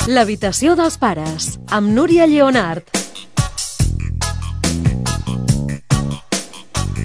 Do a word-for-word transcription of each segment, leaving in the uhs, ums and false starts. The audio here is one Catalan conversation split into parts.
L'habitació dels pares, amb Núria Lleonart.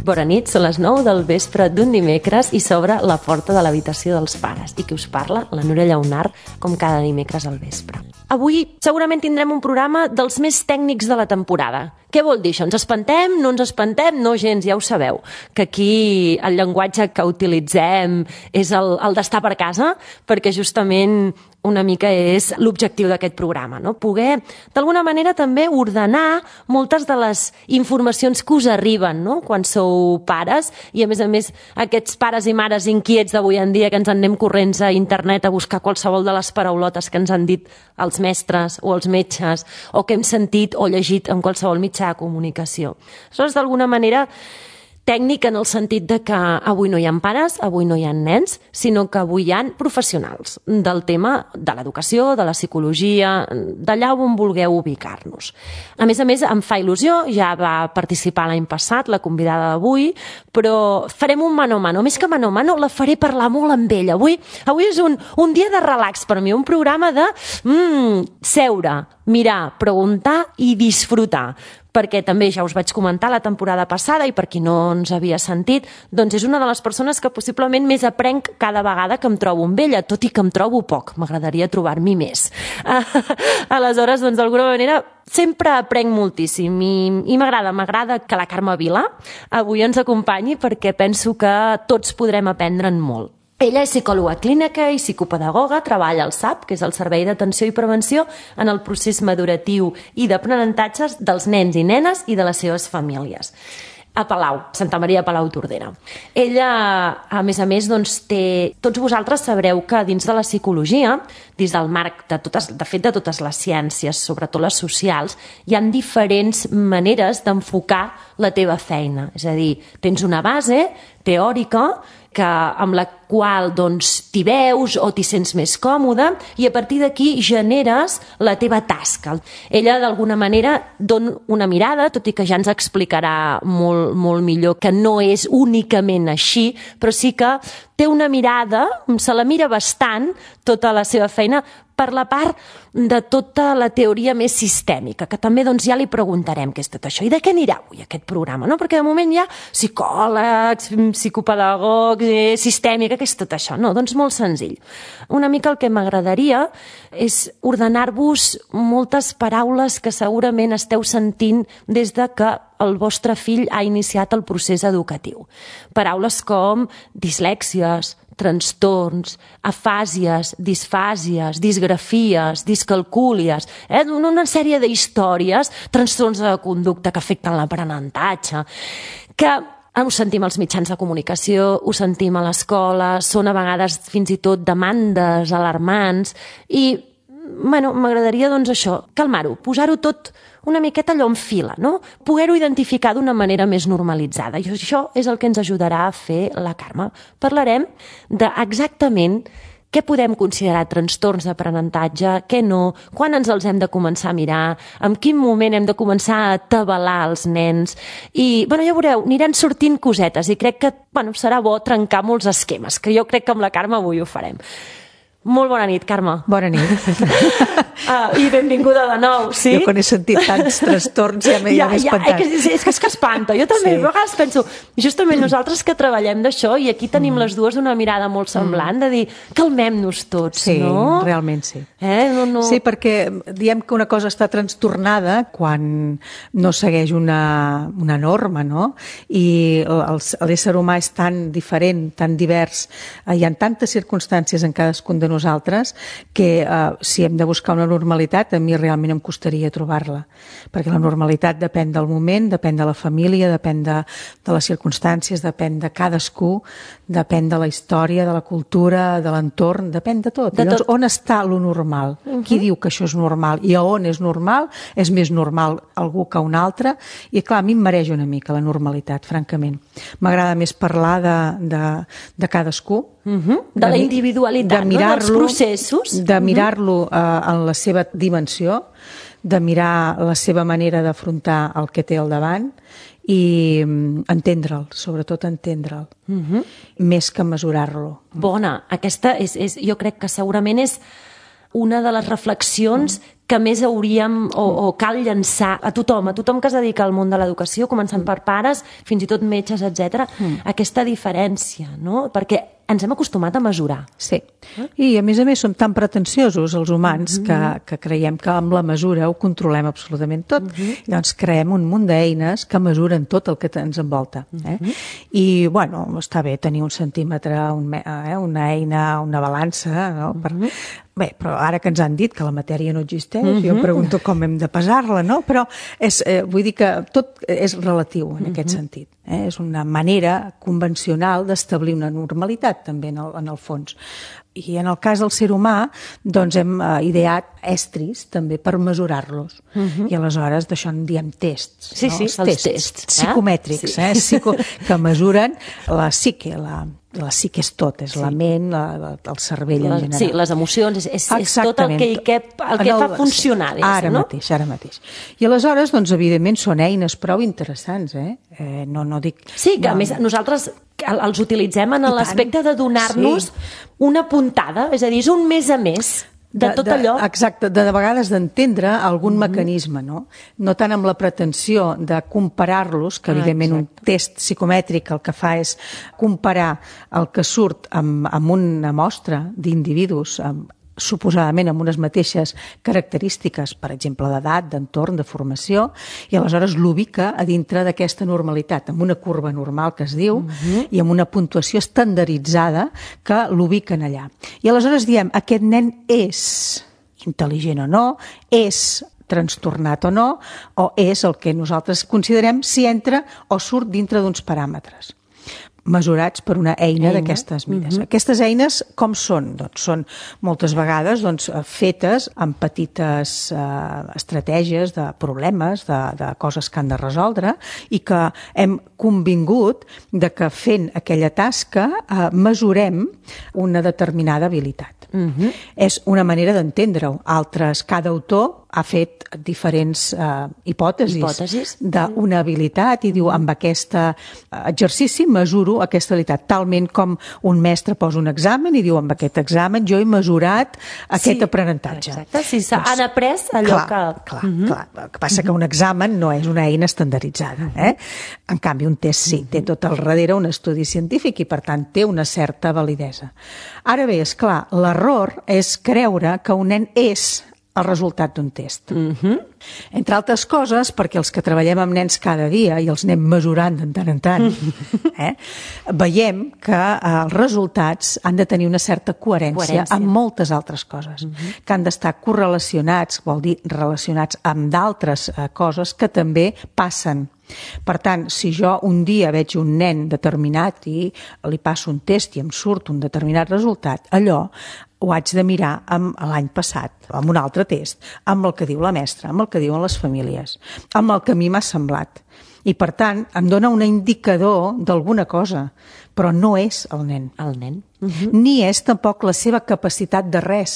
Bona nit, són les nou del vespre d'un dimecres i s'obre la porta de l'habitació dels pares. I qui us parla? La Núria Lleonart, com cada dimecres al vespre. Avui segurament tindrem un programa dels més tècnics de la temporada. Què vol dir això? Ens espantem? No ens espantem? No gens, ja ho sabeu. Que aquí el llenguatge que utilitzem és el, el d'estar per casa, perquè justament una mica és l'objectiu d'aquest programa, no? Poder, d'alguna manera, també ordenar moltes de les informacions que us arriben, no? Quan sou pares, i a més a més aquests pares i mares inquiets d'avui en dia que ens en anem corrents a internet a buscar qualsevol de les paraulotes que ens han dit els mestres o els metges o que hem sentit o llegit en qualsevol mitjà de comunicació. Això és d'alguna manera tècnic en el sentit de que avui no hi ha pares, avui no hi ha nens, sinó que avui hi ha professionals del tema de l'educació, de la psicologia, d'allà on vulgueu ubicar-nos. A més a més, em fa il·lusió, ja va participar l'any passat, la convidada d'avui, però farem un mano a mano. Més que mano a mano, la faré parlar molt amb ella. Avui, avui és un, un dia de relax per mi, un programa de mm, seure, mirar, preguntar i disfrutar. Perquè també ja us vaig comentar la temporada passada i per qui no ens havia sentit, doncs és una de les persones que possiblement més aprenc cada vegada que em trobo amb ella, tot i que em trobo poc, m'agradaria trobar-m'hi més. Aleshores, doncs d'alguna manera sempre aprenc moltíssim i, i m'agrada, m'agrada que la Carme Vila avui ens acompanyi perquè penso que tots podrem aprendre'n molt. Ella és psicòloga clínica i psicopedagoga, treballa al S A P, que és el Servei d'Atenció i Prevenció, en el procés maduratiu i d'aprenentatges dels nens i nenes i de les seves famílies. A Palau, Santa Maria de Palau Tordera. Ella, a més a més, doncs, té... Tots vosaltres sabreu que dins de la psicologia, dins del marc de, totes, de fet de totes les ciències, sobretot les socials, hi ha diferents maneres d'enfocar la teva feina. És a dir, tens una base teòrica que, amb la qual doncs, t'hi veus o t'hi sents més còmode i a partir d'aquí generes la teva tasca. Ella, d'alguna manera, dona una mirada, tot i que ja ens explicarà molt, molt millor que no és únicament així, però sí que té una mirada, se la mira bastant, tota la seva feina, per la part de tota la teoria més sistèmica, que també doncs, ja li preguntarem què és tot això. I de què anirà avui aquest programa? No? Perquè de moment hi ha psicòlegs, psicopedagogs, eh, sistèmica, què és tot això? No, doncs molt senzill. Una mica el que m'agradaria és ordenar-vos moltes paraules que segurament esteu sentint des de que el vostre fill ha iniciat el procés educatiu. Paraules com dislèxies, trastorns, afàsies, disfàsies, disgrafies, discalcúlies, eh? Una sèrie d'històries, trastorns de conducta que afecten l'aprenentatge, que ho sentim als mitjans de comunicació, ho sentim a l'escola, són a vegades fins i tot demandes alarmants i, bueno, m'agradaria doncs això, calmar-ho, posar-ho tot una miqueta allò en fila, no? Poder-ho identificar d'una manera més normalitzada. I això és el que ens ajudarà a fer la Carme. Parlarem d'exactament què podem considerar trastorns d'aprenentatge, què no, quan ens els hem de començar a mirar, en quin moment hem de començar a atabalar els nens. I, bueno, ja veureu, aniran sortint cosetes i crec que, bueno, serà bo trencar molts esquemes, que jo crec que amb la Carme avui ho farem. Molt bona nit, Carme. Bona nit. Uh, I benvinguda de nou, sí? Jo quan he sentit tants trastorns ja m'he ja, ja, espantat. És que, és que és que espanta. Jo també, sí. A vegades penso, justament nosaltres que treballem d'això i aquí tenim mm. les dues una mirada molt semblant, mm. de dir, calmem-nos tots, sí, no? Sí, realment sí. Eh? No, no... Sí, perquè diem que una cosa està trastornada quan no segueix una, una norma, no? I l'ésser humà és tan diferent, tan divers, hi ha tantes circumstàncies en cadascun de nosaltres que eh, si hem de buscar una normalitat a mi realment em costaria trobar-la, perquè la normalitat depèn del moment, depèn de la família, depèn de, de les circumstàncies, depèn de cadascú, depèn de la història, de la cultura, de l'entorn, depèn de tot. De Llavors, tot. On està lo normal? Uh-huh. Qui diu que això és normal? I a on és normal? És més normal algú que un altre? I clar, a mi em mereix una mica la normalitat, francament. M'agrada més parlar de, de, de cadascú, Uh-huh. De, de la individualitat, de no? Dels processos. De mirar-lo uh, en la seva dimensió, de mirar la seva manera d'afrontar el que té al davant i um, entendre'l, sobretot entendre'l, uh-huh. més que mesurar-lo. Bona, aquesta és, és, jo crec que segurament és una de les reflexions que més hauríem o, o cal llançar a tothom, a tothom que es dedica al món de l'educació, començant per pares, fins i tot metges, etcètera, mm. aquesta diferència, no? Perquè ens hem acostumat a mesurar. Sí. I, a més a més, som tan pretensiosos, els humans, mm-hmm. que, que creiem que amb la mesura ho controlem absolutament tot. Mm-hmm. Llavors, creem un munt d'eines que mesuren tot el que ens envolta. Eh? Mm-hmm. I, bueno, està bé tenir un centímetre, un, eh, una eina, una balança, no? Per... Mm-hmm. Bé, però ara que ens han dit que la matèria no existeix, mm-hmm. jo em pregunto com hem de pesar-la, no? Però és, eh, vull dir que tot és relatiu en mm-hmm. aquest sentit. Eh? És una manera convencional d'establir una normalitat, també, en el, en el fons. I en el cas del ser humà, doncs hem eh, ideat estris també per mesurar-los. Uh-huh. I aleshores d'això en diem tests. Sí, no? sí, els, els tests, tests. Psicomètrics, sí. eh? Psico, que mesuren la psique, la, la psique és tot, és sí. la ment, la, la, el cervell les, en general. Sí, les emocions, és, és, és tot el que, el que, el que el, fa funcionar. Sí, ara no? mateix, ara mateix. I aleshores, doncs, evidentment, són eines prou interessants, eh? eh no, no dic... Sí, que no, a més nosaltres els utilitzem en l'aspecte de donar-nos sí. una puntada, és a dir, és un més a més de, de tot de, allò. Exacte, de, de vegades d'entendre algun mm-hmm. mecanisme, no? No tant amb la pretensió de comparar-los, que evidentment ah, un test psicomètric el que fa és comparar el que surt amb, amb una mostra d'individus, amb suposadament amb unes mateixes característiques, per exemple, d'edat, d'entorn, de formació, i aleshores l'ubica a dintre d'aquesta normalitat, amb una curva normal que es diu, uh-huh. i amb una puntuació estandarditzada que l'ubiquen allà. I aleshores diem, aquest nen és intel·ligent o no, és trastornat o no, o és el que nosaltres considerem si entra o surt dintre d'uns paràmetres mesurats per una eina, eina. d'aquestes mides. Uh-huh. Aquestes eines, com són? Doncs són moltes vegades doncs, fetes amb petites eh, estratègies de problemes, de, de coses que han de resoldre i que hem convingut de que fent aquella tasca eh, mesurem una determinada habilitat. Uh-huh. És una manera d'entendre-ho. Altres, cada autor ha fet diferents eh, hipòtesis, hipòtesis d'una habilitat i diu, amb aquest exercici mesuro aquesta habilitat, talment com un mestre posa un examen i diu, amb aquest examen jo he mesurat aquest sí, aprenentatge. Exacte, sí, s'han après allò clar, que... Clar, uh-huh. clar. El que passa que un examen no és una eina estandarditzada. Eh? En canvi, un test sí, té tot al darrere un estudi científic i, per tant, té una certa validesa. Ara bé, és clar, l'error és creure que un nen és el resultat d'un test. Uh-huh. Entre altres coses, perquè els que treballem amb nens cada dia i els anem mesurant de tant en tant, eh, veiem que eh, els resultats han de tenir una certa coherència, coherència. amb moltes altres coses, uh-huh. que han d'estar correlacionats, vol dir relacionats amb d'altres eh, coses que també passen. Per tant, si jo un dia veig un nen determinat i li passo un test i em surt un determinat resultat, allò ho haig de mirar amb l'any passat, amb un altre test, amb el que diu la mestra, amb el que diuen les famílies, amb el que a mi m'ha semblat. I, per tant, em dona un indicador d'alguna cosa, però no és el nen. El nen. Uh-huh. Ni és tampoc la seva capacitat de res.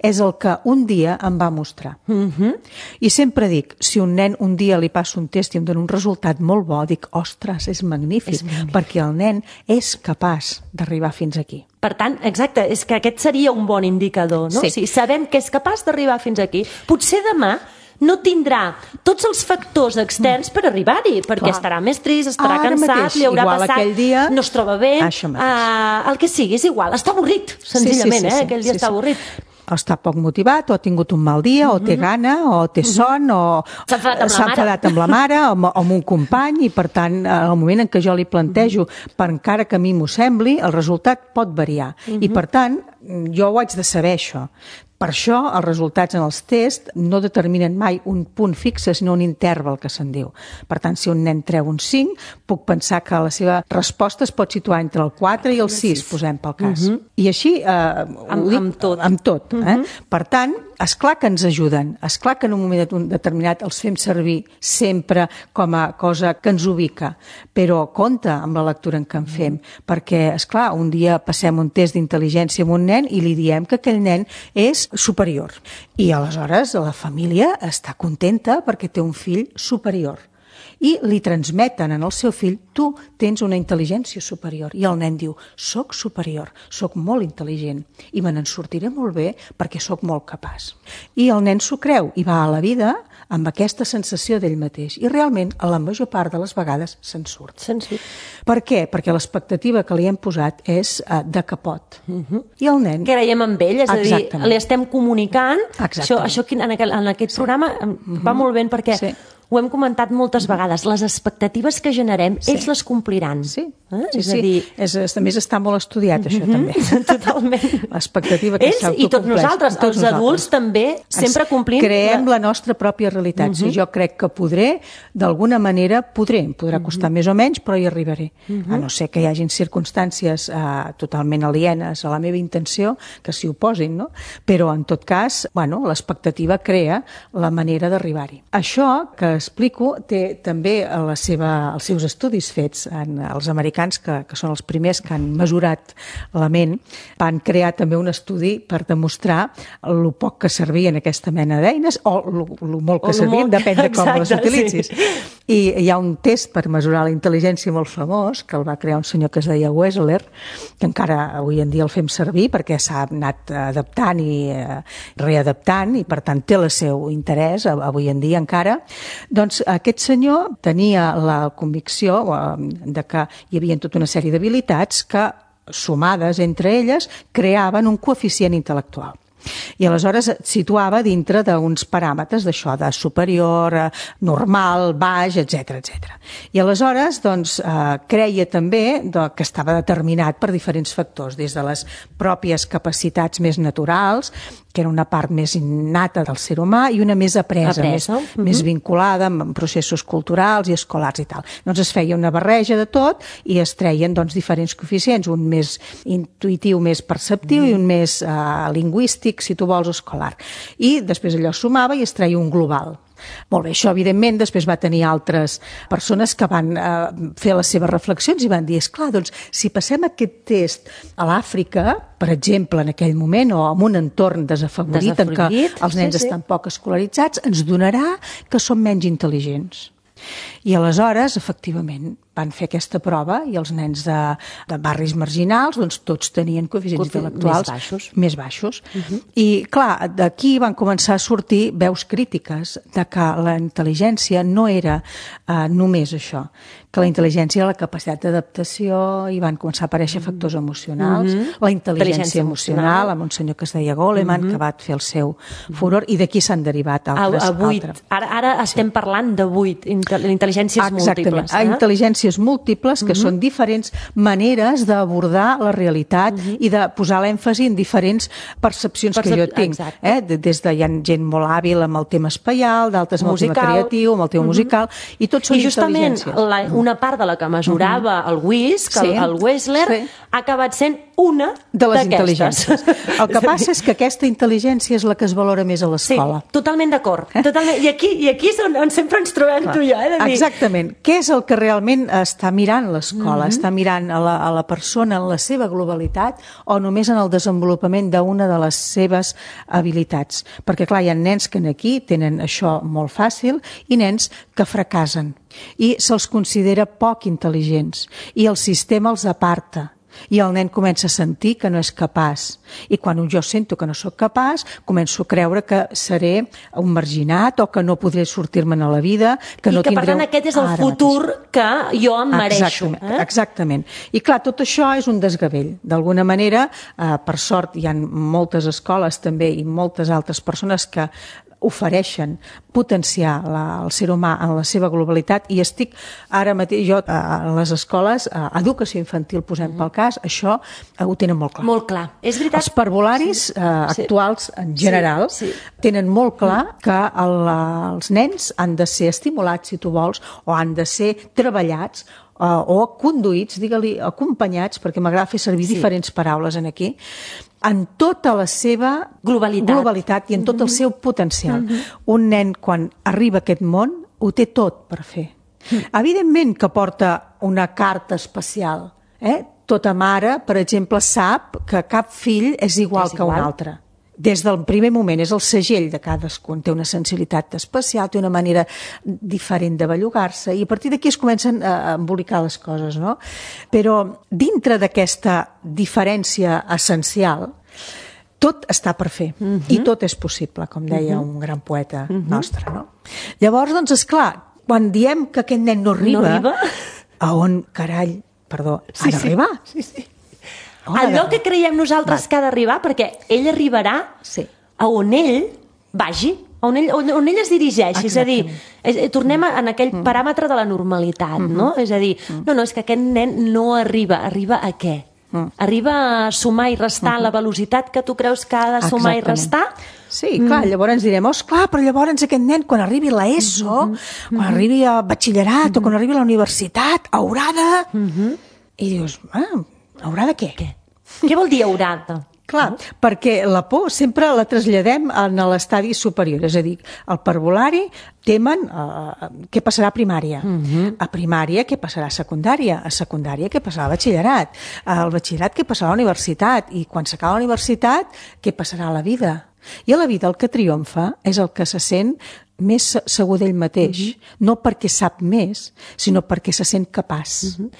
És el que un dia em va mostrar. Uh-huh. I sempre dic, si un nen un dia li passa un test i em dona un resultat molt bo, dic, ostres, és magnífic, és magnífic. Perquè el nen és capaç d'arribar fins aquí. Per tant, exacte, és que aquest seria un bon indicador, no? Sí. Si sabem que és capaç d'arribar fins aquí, potser demà no tindrà tots els factors externs per arribar-hi, perquè Clar. estarà més trist, estarà Ara cansat, mateix, li haurà igual passat, dia, no es troba bé, uh, el que sigui, és igual, està avorrit, senzillament, sí, sí, sí, eh? aquell dia sí, està sí. avorrit. Està poc motivat, o ha tingut un mal dia, o té gana, o té son, o s'ha enfadat amb, s'ha enfadat amb la mare, o amb, amb un company, i per tant, en el moment en què jo li plantejo, per encara que a mi m'ho sembli, el resultat pot variar. I per tant, jo ho haig de saber, això. Per això, els resultats en els tests no determinen mai un punt fixe, sinó un interval, que se'n diu. Per tant, si un nen treu un cinc, puc pensar que la seva resposta es pot situar entre el quatre i el sis, posem pel cas. Uh-huh. I així, eh, amb, dic, amb tot. Amb tot eh? uh-huh. Per tant, esclar que ens ajuden, esclar que en un moment determinat els fem servir sempre com a cosa que ens ubica, però compte amb la lectura en què en fem, perquè, esclar, un dia passem un test d'intel·ligència amb un nen i li diem que aquell nen és superior. I aleshores la família està contenta perquè té un fill superior. i li transmeten en el seu fill: tu tens una intel·ligència superior. I el nen diu: soc superior, soc molt intel·ligent i me n'en sortiré molt bé perquè soc molt capaç. I el nen s'ho creu i va a la vida amb aquesta sensació d'ell mateix. I realment, a la major part de les vegades, se'n surt. Se'n surt. Per què? Perquè l'expectativa que li hem posat és uh, de que pot. Uh-huh. I el nen... Creiem en ell, és a dir, Exactament. li estem comunicant. Això, Exactament. això en aquest, en aquest sí. programa uh-huh. va molt bé perquè... Sí. Ho hem comentat moltes vegades, les expectatives que generem, sí. ells les compliran. Sí, eh? sí, és sí. A dir... És, a més està molt estudiat, això, mm-hmm. també. Totalment. L'expectativa que s'autocompleix. Ells i tots nosaltres, tots els nosaltres. Adults també, sempre complint... Creem la... la nostra pròpia realitat. Mm-hmm. Si jo crec que podré, d'alguna manera podré. Em podrà costar mm-hmm. més o menys, però hi arribaré. Mm-hmm. A no ser que hi hagin circumstàncies eh, totalment alienes a la meva intenció, que s'hi oposin, no? Però, en tot cas, bueno, l'expectativa crea la manera d'arribar-hi. Això que explico té també la seva, els seus estudis fets en els americans, que, que són els primers que han mesurat la ment, van crear també un estudi per demostrar el poc que servien aquesta mena d'eines o el molt que servien, molt... depèn de com Exacte, les utilitzis. Sí. I hi ha un test per mesurar la intel·ligència molt famós, que el va crear un senyor que es deia Wechsler, que encara avui en dia el fem servir perquè s'ha anat adaptant i eh, readaptant i per tant té el seu interès avui en dia encara. Doncs aquest senyor tenia la convicció de que hi havia tota una sèrie d'habilitats que, sumades entre elles, creaven un coeficient intel·lectual. I aleshores et situava dintre d'uns paràmetres d'això, de superior, normal, baix, etcètera, etcètera. I aleshores, doncs, eh, creia també que estava determinat per diferents factors, des de les pròpies capacitats més naturals, que era una part més innata del ser humà, i una més apresa, apresa. Més, uh-huh. més vinculada amb processos culturals i escolars i tal. Doncs es feia una barreja de tot i es treien doncs, diferents coeficients, un més intuïtiu, més perceptiu, uh-huh. i un més eh, lingüístic, si tu vols, escolar. I després allò sumava i es treia un global. Molt bé, això evidentment després va tenir altres persones que van eh, fer les seves reflexions i van dir, esclar, doncs si passem aquest test a l'Àfrica, per exemple, en aquell moment, o en un entorn desafavorit, desafavorit en què els nens sí, sí. estan poc escolaritzats, ens donarà que som menys intel·ligents. I aleshores, efectivament, van fer aquesta prova i els nens de, de barris marginals doncs tots tenien coeficients Coefi intel·lectuals més baixos. Més baixos. Uh-huh. I, clar, d'aquí van començar a sortir veus crítiques de que la intel·ligència no era eh, només això, que la intel·ligència era la capacitat d'adaptació i van començar a aparèixer factors emocionals, uh-huh. la intel·ligència emocional, amb un senyor que es deia Goleman, uh-huh. que va fer el seu furor, i d'aquí s'han derivat altres. A, a vuit. Altres. Ara, ara estem sí. parlant de vuit, intel·ligències Exactament. múltiples. Eh? Intel·ligències múltiples, que uh-huh. són diferents maneres d'abordar la realitat uh-huh. i de posar l'èmfasi en diferents percepcions Percep que jo tinc. Eh? Des de hi ha gent molt hàbil amb el tema espaial, d'altres amb el tema creatiu, amb el tema uh-huh. musical, i tots són I justament la, una part de la que mesurava uh-huh. el WISC, sí. el, el Wechsler, sí. ha acabat sent una de les intel·ligències. El que passa és que aquesta intel·ligència és la que es valora més a l'escola. Sí, totalment d'acord. Eh? Totalment. I aquí, i aquí és on, on sempre ens trobem Clar. tu i jo. Eh, de dir... Exactament. Què és el que realment està mirant l'escola? Mm-hmm. Està mirant a la, a la persona en la seva globalitat o només en el desenvolupament d'una de les seves habilitats? Perquè, clar, hi ha nens que aquí tenen això molt fàcil i nens que fracassen i se'ls considera poc intel·ligents i el sistema els aparta. I el nen comença a sentir que no és capaç. I quan jo sento que no sóc capaç, començo a creure que seré un marginat o que no podré sortir-me'n a la vida, que I no que, tindré... per tant, aquest és el futur mateix. que jo em mereixo. Exactament, eh? exactament. I clar, tot això és un desgavell. D'alguna manera, eh, per sort, hi ha moltes escoles també i moltes altres persones que ofereixen potenciar la, el ser humà en la seva globalitat i estic ara mateix, jo a les escoles, a educació infantil posem mm. pel cas, això ho tenen molt clar. Molt clar, és veritat. Els parvularis sí. eh, actuals en general sí. Sí. tenen molt clar mm. que el, els nens han de ser estimulats, si tu vols, o han de ser treballats Uh, o conduïts, digue-li, acompanyats, perquè m'agrada fer servir sí. diferents paraules en aquí, en tota la seva globalitat, globalitat i en tot el seu potencial. Mm-hmm. Un nen, quan arriba a aquest món, ho té tot per fer. Mm. Evidentment que porta una carta especial. Eh? Tota mare, per exemple, sap que cap fill és igual, és igual. que un altre. des del primer moment, és el segell de cadascun, té una sensibilitat especial, té una manera diferent de bellugar-se, i a partir d'aquí es comencen a embolicar les coses, no? Però dintre d'aquesta diferència essencial, tot està per fer, uh-huh. i tot és possible, com deia uh-huh. un gran poeta uh-huh. nostre, no? Llavors, doncs, esclar, quan diem que aquest nen no arriba, no arriba? a on, carall, perdó, sí, ha d'arribar? Sí, sí. Allò que creiem nosaltres Va. que ha d'arribar, perquè ell arribarà sí. a on ell vagi, on ell, on, on ell es dirigeixi. Exactament. És a dir, és, tornem a, en aquell mm. paràmetre de la normalitat, mm-hmm. no? És a dir, mm. no, no, és que aquest nen no arriba. Arriba a què? Mm. Arriba a sumar i restar mm-hmm. la velocitat que tu creus que ha de sumar Exactament. i restar? Sí, clar, mm. llavors direm, oh, esclar, però llavors aquest nen, quan arribi a l'ESO, mm-hmm. quan arribi a batxillerat mm-hmm. o quan arribi a la universitat, haurà de... Mm-hmm. I dius, ah, haurà de què? Què? Què vol dir haurà de? Clar, no? Perquè la por sempre la traslladem a l'estadi superior, és a dir, al parvulari temen uh, què passarà a primària, uh-huh. a primària què passarà a secundària, a secundària què passarà a batxillerat, al batxillerat què passarà a la universitat, i quan s'acaba la universitat què passarà a la vida. I a la vida el que triomfa és el que se sent més segur d'ell mateix, uh-huh. no perquè sap més, sinó perquè se sent capaç uh-huh.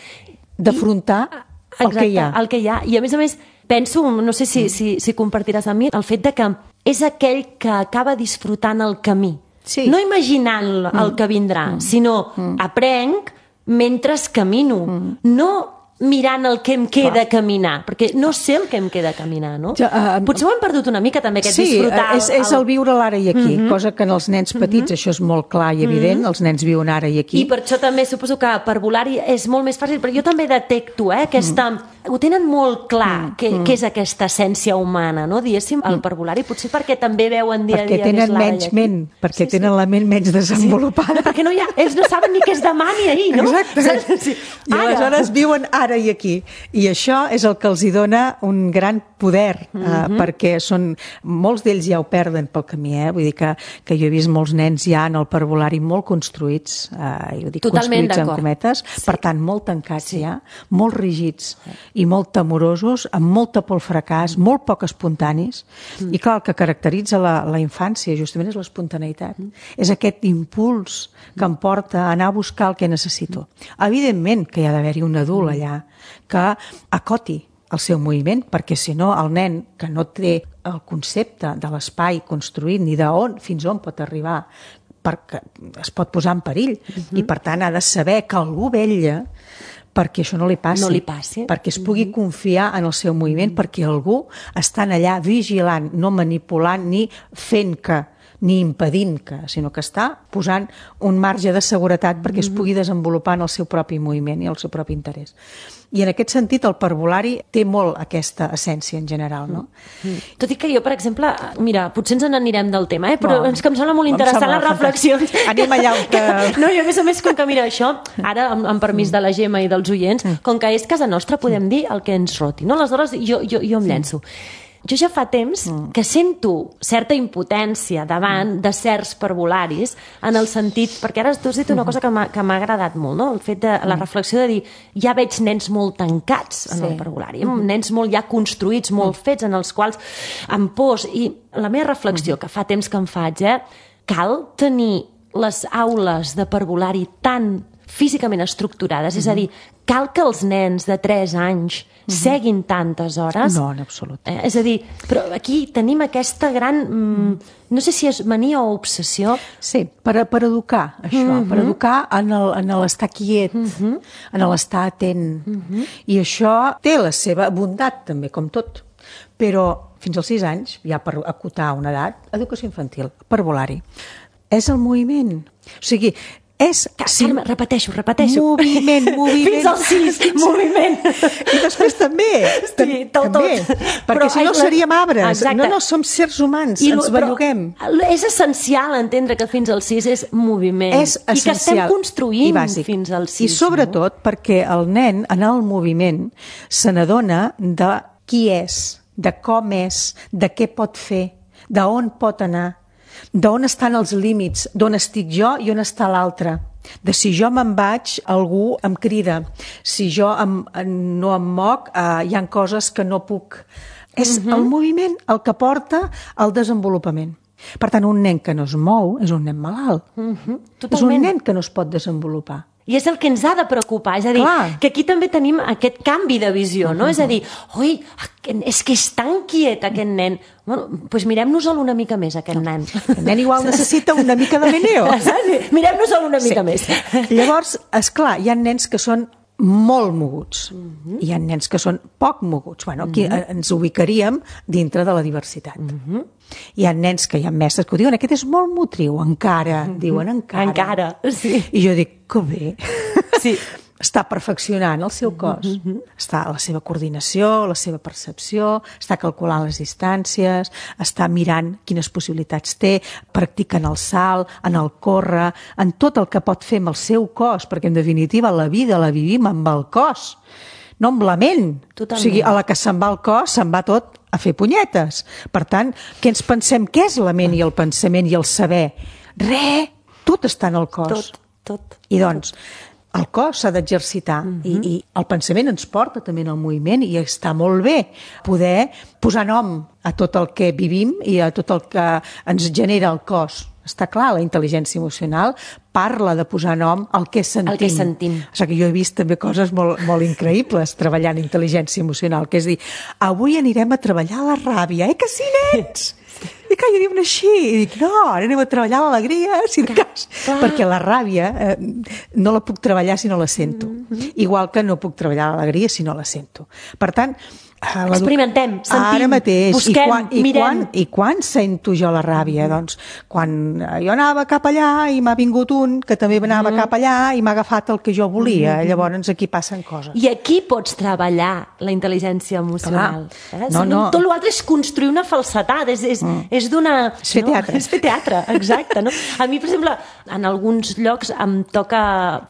d'afrontar I, el que hi ha. el que hi ha. I a més a més, penso, no sé si, si, si compartiràs amb mi, el fet de que és aquell que acaba disfrutant el camí. Sí. No imaginant el que vindrà, mm. sinó mm. aprenc mentre camino. Mm. No mirant el que em queda Clar. caminar, perquè no sé el que em queda caminar, no? Ja, uh, Potser ho hem perdut una mica també, aquest sí, disfrutar... Sí, és, és el viure l'ara i aquí, mm-hmm. cosa que en els nens petits mm-hmm. això és molt clar i evident, mm-hmm. els nens viuen ara i aquí. I per això també suposo que per volar-hi és molt més fàcil, però jo també detecto eh, aquesta... Mm. Ho tenen molt clar, què mm. és aquesta essència humana, no? Diguéssim, el parvulari, potser perquè també veuen dia perquè a dia... Perquè tenen menys ment, perquè sí, tenen sí. la ment menys desenvolupada. Sí. Perquè no hi ha, ells no saben ni què és demà ni ahir, no? Exacte. Sí. I aleshores viuen ara i aquí. I això és el que els hi dona un gran poder, mm-hmm. eh, perquè són, molts d'ells ja ho perden pel camí, eh? Vull dir que, que jo he vist molts nens ja en el parvulari molt construïts, eh, jo dic Totalment construïts en cometes, sí. per tant, molt tancats sí. ja, molt rígids, i molt temorosos, amb molta por al fracàs, mm. molt poc espontanis, mm. i clar, el que caracteritza la, la infància justament és l'espontaneïtat, mm. és aquest impuls que em porta a anar a buscar el que necessito. Evidentment que hi ha d'haver-hi un adult allà que acoti el seu moviment, perquè si no el nen que no té el concepte de l'espai construït ni d'on fins on pot arribar, perquè es pot posar en perill, mm-hmm. i per tant ha de saber que algú vetlla perquè això no li passi, no li passi. perquè es pugui confiar en el seu moviment, perquè algú està allà vigilant, no manipulant ni fent que, ni impedint que, sinó que està posant un marge de seguretat perquè es pugui desenvolupar en el seu propi moviment i el seu propi interès. I en aquest sentit el parvulari té molt aquesta essència en general, no? Mm. Tot i que jo, per exemple, mira, potser ens n'anirem del tema, eh? però no, és que em sembla molt interessant les reflexions. Anem allà on que... No, i a més a més, com que mira això, ara, amb, amb permís de la Gemma i dels oients, com que és casa nostra, podem dir el que ens roti, no? Aleshores, jo, jo, jo em llenço. Jo ja fa temps que sento certa impotència davant de certs parvularis en el sentit, perquè ara tu has dit una cosa que m'ha agradat molt, no? El fet de la reflexió de dir, ja veig nens molt tancats en sí. el parvulari, nens molt ja construïts, molt fets, en els quals amb pors, i la meva reflexió que fa temps que em faig, eh, cal tenir les aules de parvulari tan físicament estructurades, mm-hmm. és a dir, cal que els nens de tres anys mm-hmm. seguin tantes hores? No, en absolut. Eh, és a dir, però aquí tenim aquesta gran, mm, no sé si és mania o obsessió. Sí, per, per educar, això, mm-hmm. per educar en el, en l'estar quiet, mm-hmm. en l'estar atent. Mm-hmm. I això té la seva bondat, també, com tot. Però fins als sis anys, ja per acotar una edat, educació infantil, parvulari. És el moviment. O sigui, és... Carme, repeteixo, repeteixo. Moviment, moviment. Fins al sis, moviment. I després també. Sí, tot, també. tot. Perquè però si no la... seríem arbres. Exacte. No, no, som sers humans, I ens belluguem. És essencial entendre que fins al sis és moviment. És essencial. I que estem construint fins al sis. I sobretot no? perquè el nen, en el moviment, se n'adona de qui és, de com és, de què pot fer, d'on pot anar, d'on estan els límits, d'on estic jo i on està l'altre. De si jo me'n vaig, algú em crida. Si jo em, no em moc, eh, hi ha coses que no puc És uh-huh. el moviment el que porta al desenvolupament. Per tant, un nen que no es mou és un nen malalt. Uh-huh. És un nen que no es pot desenvolupar. I és el que ens ha de preocupar, és a dir, Clar. que aquí també tenim aquest canvi de visió, no? Uh-huh. És a dir, oi, és que és tan quiet aquest nen. Bueno, doncs mirem-nos-el una mica més, aquest nen. El nen igual necessita una mica de meneo. Mirem-nos-el una mica sí. més. Llavors, esclar, hi ha nens que són molt moguts. Uh-huh. Hi ha nens que són poc moguts. Bueno, aquí uh-huh. ens ubicaríem dintre de la diversitat. Uh-huh. Hi ha nens que hi ha mestres que ho diuen, aquest és molt motriu, encara, uh-huh. diuen encara. Encara, sí. I jo dic, que bé. Sí. Està perfeccionant el seu cos. Uh-huh. Està la seva coordinació, la seva percepció, està calculant les distàncies, està mirant quines possibilitats té, practica en el salt, en el córrer, en tot el que pot fer amb el seu cos, perquè en definitiva la vida la vivim amb el cos, no amb la ment. Totalment. O sigui, a la que se'n va el cos, se'n va tot a fer punyetes. Per tant, què ens pensem? Què és la ment i el pensament i el saber? Re! Tot està en el cos. Tot, tot. I doncs, el cos s'ha d'exercitar uh-huh. i, i el pensament ens porta també en el moviment i està molt bé poder posar nom a tot el que vivim i a tot el que ens genera el cos. Està clar, la intel·ligència emocional parla de posar nom al que sentim. El que sentim. O sigui que jo he vist també coses molt, molt increïbles treballant intel·ligència emocional, que és dir, avui anirem a treballar la ràbia, eh que sí, nens? I que jo diuen així, i dic, no, ara anem a treballar l'alegria, si de cas, perquè la ràbia eh, no la puc treballar si no la sento, mm-hmm. igual que no puc treballar l'alegria si no la sento. Per tant, experimentem, sentim, ara mateix, busquem, i quan, i mirem. Quan, I quan sento jo la ràbia? Mm. Doncs quan jo anava cap allà i m'ha vingut un que també anava mm. cap allà i m'ha agafat el que jo volia. Mm. Llavors aquí passen coses. I aquí pots treballar la intel·ligència emocional. Eh? No, no. Tot l'altre és construir una falsetat, és, és, mm. és donar... És fer teatre. No? És fer teatre, exacte. No? A mi, per exemple, en alguns llocs em toca,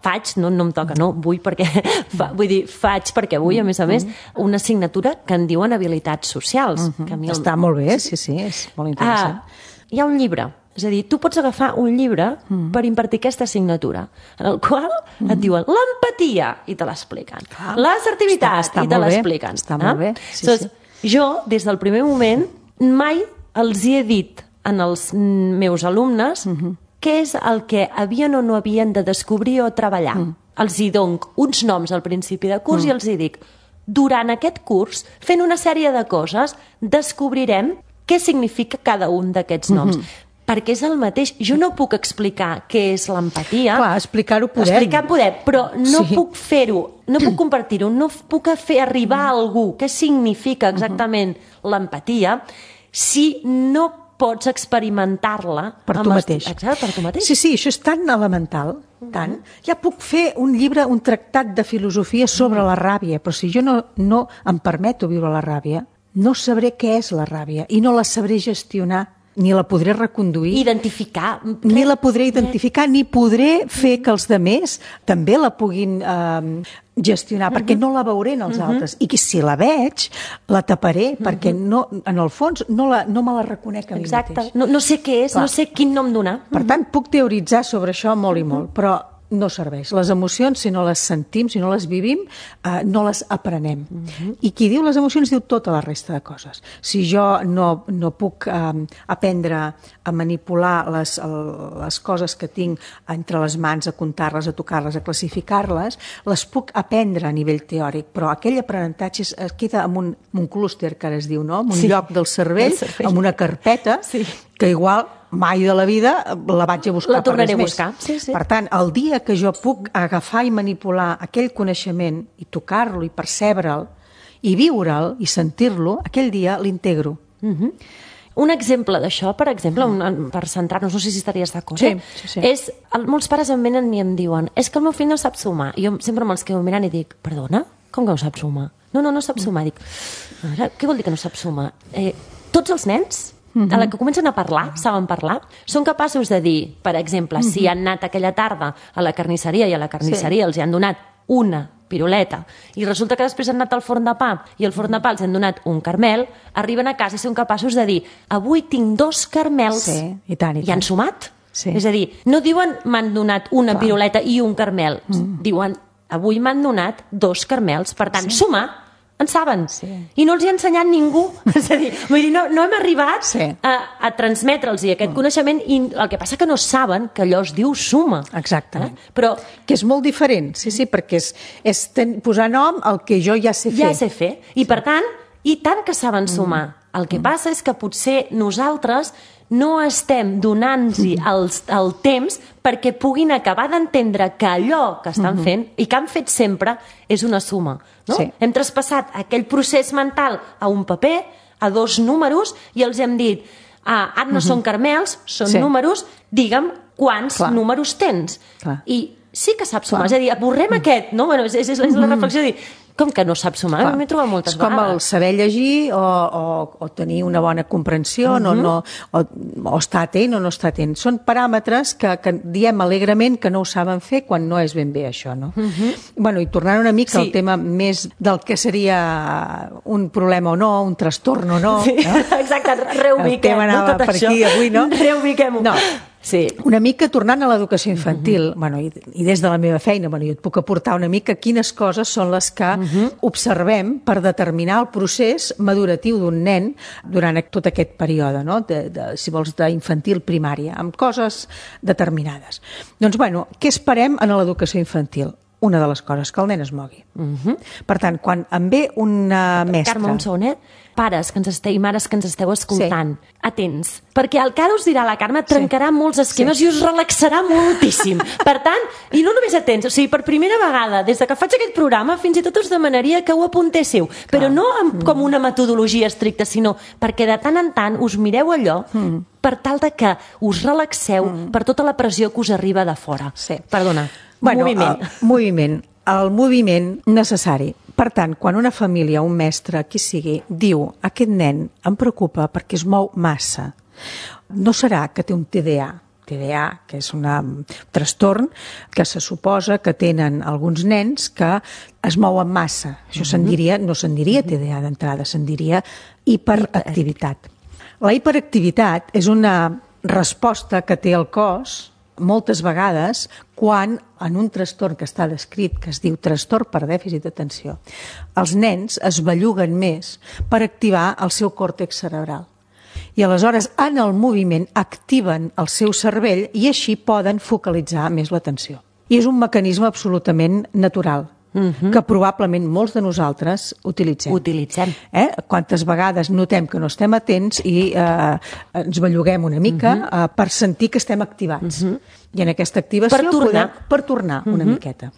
faig, no, no em toca, no, vull perquè, fa, vull dir, faig perquè vull, a més a més, una assignatura que en diuen habilitats socials. Uh-huh. Que a mi el... Està molt bé, sí, sí, és molt interessant. Ah, hi ha un llibre, és a dir, tu pots agafar un llibre uh-huh. per impartir aquesta assignatura, en el qual uh-huh. et diuen l'empatia i te l'expliquen, l'assertivitat està, està i te l'expliquen. Està molt bé, sí, Entonces, sí. Jo, des del primer moment, mai els hi he dit en els meus alumnes uh-huh. què és el que havien o no havien de descobrir o treballar. Uh-huh. Els hi dono uns noms al principi de curs uh-huh. i els hi dic, durant aquest curs, fent una sèrie de coses, descobrirem què significa cada un d'aquests noms. Mm-hmm. Perquè és el mateix. Jo no puc explicar què és l'empatia. Clar, explicar-ho podem. Explicar podem, però no sí. puc fer-ho, no puc compartir-ho, no puc fer arribar a algú què significa exactament uh-huh. l'empatia si no pots experimentar-la per tu mateix. Exacte, per tu mateix. Sí, sí, això és tan elemental, tant. Ja puc fer un llibre, un tractat de filosofia sobre la ràbia, però si jo no, no em permeto viure la ràbia, no sabré què és la ràbia i no la sabré gestionar, ni la podré reconduir. Identificar. Ni la podré identificar, ni podré fer que els demés també la puguin eh, gestionar, uh-huh. perquè no la veuré en els uh-huh. altres. I que si la veig, la taparé, uh-huh. perquè no, en el fons no, la, no me la reconec a mi Exacte. mateix. No, no sé què és, Clar. no sé quin nom donar. Per tant, puc teoritzar sobre això molt i molt, però no serveix. Les emocions, si no les sentim, si no les vivim, eh, no les aprenem. Uh-huh. I qui diu les emocions diu tota la resta de coses. Si jo no, no puc eh, aprendre a manipular les, el, les coses que tinc entre les mans, a comptar-les, a tocar-les, a classificar-les, les puc aprendre a nivell teòric, però aquell aprenentatge es, es queda en un, en un clúster, que ara es diu, no? En un sí. lloc del cervell, cervell, amb una carpeta, sí. que igual mai de la vida la vaig a buscar. La tornaré per a buscar. Sí, sí. Per tant, el dia que jo puc agafar i manipular aquell coneixement i tocar-lo i percebre'l i viure'l i sentir-lo, aquell dia l'integro. Uh-huh. Un exemple d'això, per exemple, un, per centrar-nos, no sé si estaries d'acord, sí, eh? sí, sí. és, el, molts pares em venen i em diuen és que el meu fill no sap sumar. I jo sempre me'ls quedo mirant i dic, perdona? Com que no sap sumar? No, no, no sap sumar. Dic, ara, què vol dir que no sap sumar? Eh, tots els nens a la que comencen a parlar, saben parlar, són capaços de dir, per exemple, si han anat aquella tarda a la carnisseria i a la carnisseria sí. els han donat una piruleta i resulta que després han anat al forn de pa i al forn de pa els han donat un carmel, arriben a casa i són capaços de dir, avui tinc dos carmels sí, i, tant, i, i han sumat. Sí. És a dir, no diuen m'han donat una Clar. piruleta i un carmel, mm. diuen avui m'han donat dos carmels, per tant, sí. sumar. en saben. Sí. I no els hi ha ensenyat ningú. És a dir, vull dir no, no hem arribat sí. a, a transmetre'ls aquest mm. coneixement i el que passa que no saben que allò es diu suma. Exactament. Eh? Però, que és molt diferent, sí, sí, perquè és, és ten, posar nom al que jo ja sé fer. Ja sé fer. I per tant, i tant que saben sumar. Mm. El que mm. passa és que potser nosaltres no estem donant-hi el, el temps perquè puguin acabar d'entendre que allò que estan fent i que han fet sempre és una suma. No? Sí. Hem traspassat aquell procés mental a un paper, a dos números, i els hem dit, ah, ara no són caramels, són sí. números, digue'm quants Clar. números tens. Clar. I sí que sap sumar, Clar. és a dir, avorrem mm. aquest, no? Bueno, és, és, és la reflexió de dir, com que no sap sumar? Clar. M'he trobat moltes és com vegades. el saber llegir o, o, o tenir una bona comprensió uh -huh. no, no, o, o estar atent o no estar atent. Són paràmetres que, que diem alegrement que no ho saben fer quan no és ben bé això. No? Uh -huh. Bueno, i tornant una mica sí. al tema més del que seria un problema o no, un trastorn o no. Sí. No? Exacte, reubiquem. El tema anava no, tot per això. aquí avui, no? Reubiquem-ho. No. Sí. Una mica tornant a l'educació infantil, uh-huh. bueno, i, i des de la meva feina, bueno, jo et puc aportar una mica quines coses són les que uh-huh. observem per determinar el procés maduratiu d'un nen durant tot aquest període, no? de, de, si vols, d'infantil primària, amb coses determinades. Doncs, bueno, què esperem en l'educació infantil? Una de les coses, que el nen es mogui. Uh-huh. Per tant, quan em ve una mestra... Carme, un segon, eh? Pares que ens esteu, i mares que ens esteu escoltant, sí. atents, perquè el que ara us dirà la Carme trencarà sí. molts esquemes sí. i us relaxarà moltíssim. Per tant, i no només atents, o sigui, per primera vegada, des de que faig aquest programa, fins i tot us demanaria que ho apuntéssiu, però no amb, com una metodologia estricta, sinó perquè de tant en tant us mireu allò mm. per tal de que us relaxeu mm. per tota la pressió que us arriba de fora. Sí. Perdona, bueno, moviment. El moviment. El moviment necessari. Per tant, quan una família, un mestre, qui sigui, diu aquest nen em preocupa perquè es mou massa, no serà que té un T D A, T D A, que és una, un trastorn que se suposa que tenen alguns nens que es mouen massa. Això se'n diria, no se'n diria T D A d'entrada, se'n diria hiperactivitat. La hiperactivitat és una resposta que té el cos moltes vegades quan en un trastorn que està descrit, que es diu trastorn per dèficit d'atenció, els nens es belluguen més per activar el seu còrtex cerebral. I aleshores en el moviment activen el seu cervell i així poden focalitzar més l'atenció. I és un mecanisme absolutament natural, Uh-huh. que probablement molts de nosaltres utilitzem. Utilitzem. Eh? Quantes vegades notem que no estem atents i eh, ens belluguem una mica uh-huh. eh, per sentir que estem activats. Uh-huh. I en aquesta activació per tornar, podem, per tornar uh-huh. una miqueta.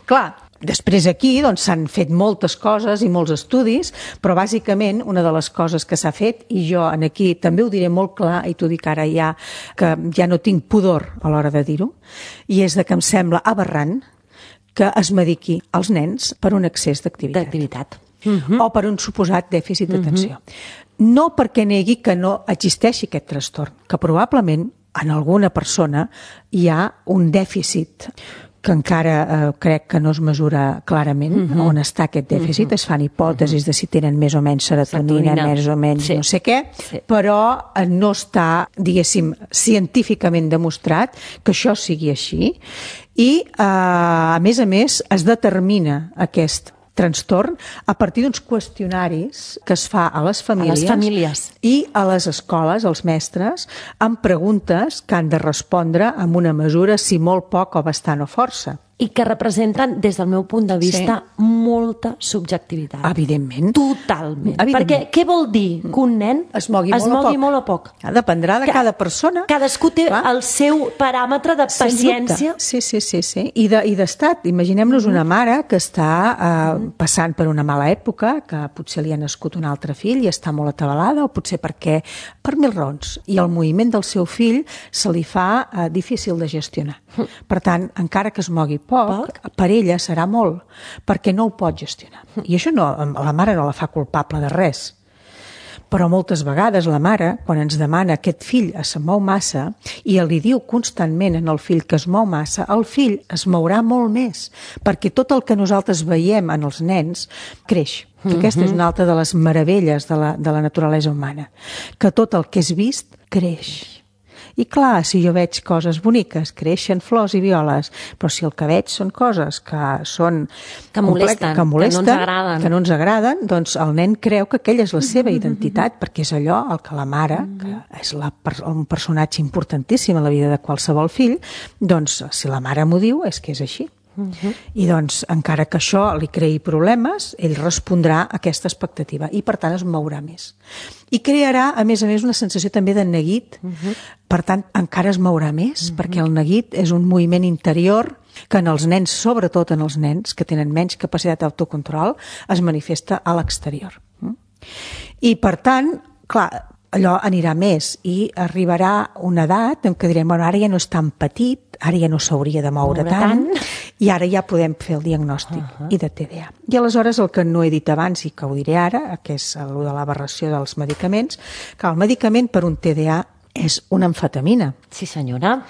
Clar, després aquí doncs, s'han fet moltes coses i molts estudis, però bàsicament una de les coses que s'ha fet, i jo en aquí també ho diré molt clar, i t'ho dic ara ja, que ja no tinc pudor a l'hora de dir-ho, i és de que em sembla aberrant que es mediqui als nens per un excés d'activitat. D'activitat. Uh-huh. O per un suposat dèficit d'atenció. Uh-huh. No perquè negui que no existeixi aquest trastorn, que probablement en alguna persona hi ha un dèficit que encara eh, crec que no es mesura clarament uh-huh. on està aquest dèficit. Uh-huh. Es fan hipòtesis uh-huh. de si tenen més o menys serotonina, serotonina. més o menys sí. no sé què, sí. però eh, no està, diguéssim, científicament demostrat que això sigui així. I, eh, a més a més, es determina aquest trastorn a partir d'uns qüestionaris que es fa a les famílies, a les famílies. i a les escoles, als mestres, amb preguntes que han de respondre amb una mesura, si molt poc o bastant o força. I que representen, des del meu punt de vista, sí. molta subjectivitat. Evidentment. Totalment. Evidentment. Perquè què vol dir que un nen es mogui, es molt, mogui o molt o poc? Dependrà de cada persona. Cadascú té Clar. el seu paràmetre de paciència. Sí, sí, sí, sí. I d'estat. Imaginem-nos una mare que està eh, passant per una mala època, que potser li ha nascut un altre fill i està molt atabalada, o potser perquè, per mil raons. I el moviment del seu fill se li fa eh, difícil de gestionar. Per tant, encara que es mogui poc, poc, per ella serà molt, perquè no ho pot gestionar. I això no, la mare no la fa culpable de res. Però moltes vegades la mare, quan ens demana aquest fill es mou massa i li diu constantment en el fill que es mou massa, el fill es mourà molt més, perquè tot el que nosaltres veiem en els nens creix. Que aquesta és una altra de les meravelles de la, de la naturalesa humana, que tot el que és vist creix. I clar, si jo veig coses boniques, creixen flors i violes, però si el que veig són coses que són... Que molesten, que, molesten, que no ens agraden. Que no ens agraden, doncs el nen creu que aquella és la seva identitat, perquè és allò el que la mare, que és la, un personatge importantíssim a la vida de qualsevol fill, doncs si la mare m'ho diu és que és així. Uh -huh. I doncs, encara que això li creï problemes, ell respondrà a aquesta expectativa i per tant es mourà més. I crearà, a més a més, una sensació també de neguit, uh -huh. per tant encara es mourà més, uh -huh. perquè el neguit és un moviment interior que en els nens, sobretot en els nens que tenen menys capacitat d'autocontrol, es manifesta a l'exterior. I per tant, clar, allò anirà més i arribarà una edat en què direm, bueno, ara ja no és tan petit, ara ja no s'hauria de moure, moure tant, tant i ara ja podem fer el diagnòstic uh -huh. i de T D A. I aleshores el que no he dit abans i que ho diré ara, que és el de l'aberració dels medicaments, que el medicament per un T D A és una amfetamina. Sí, senyora.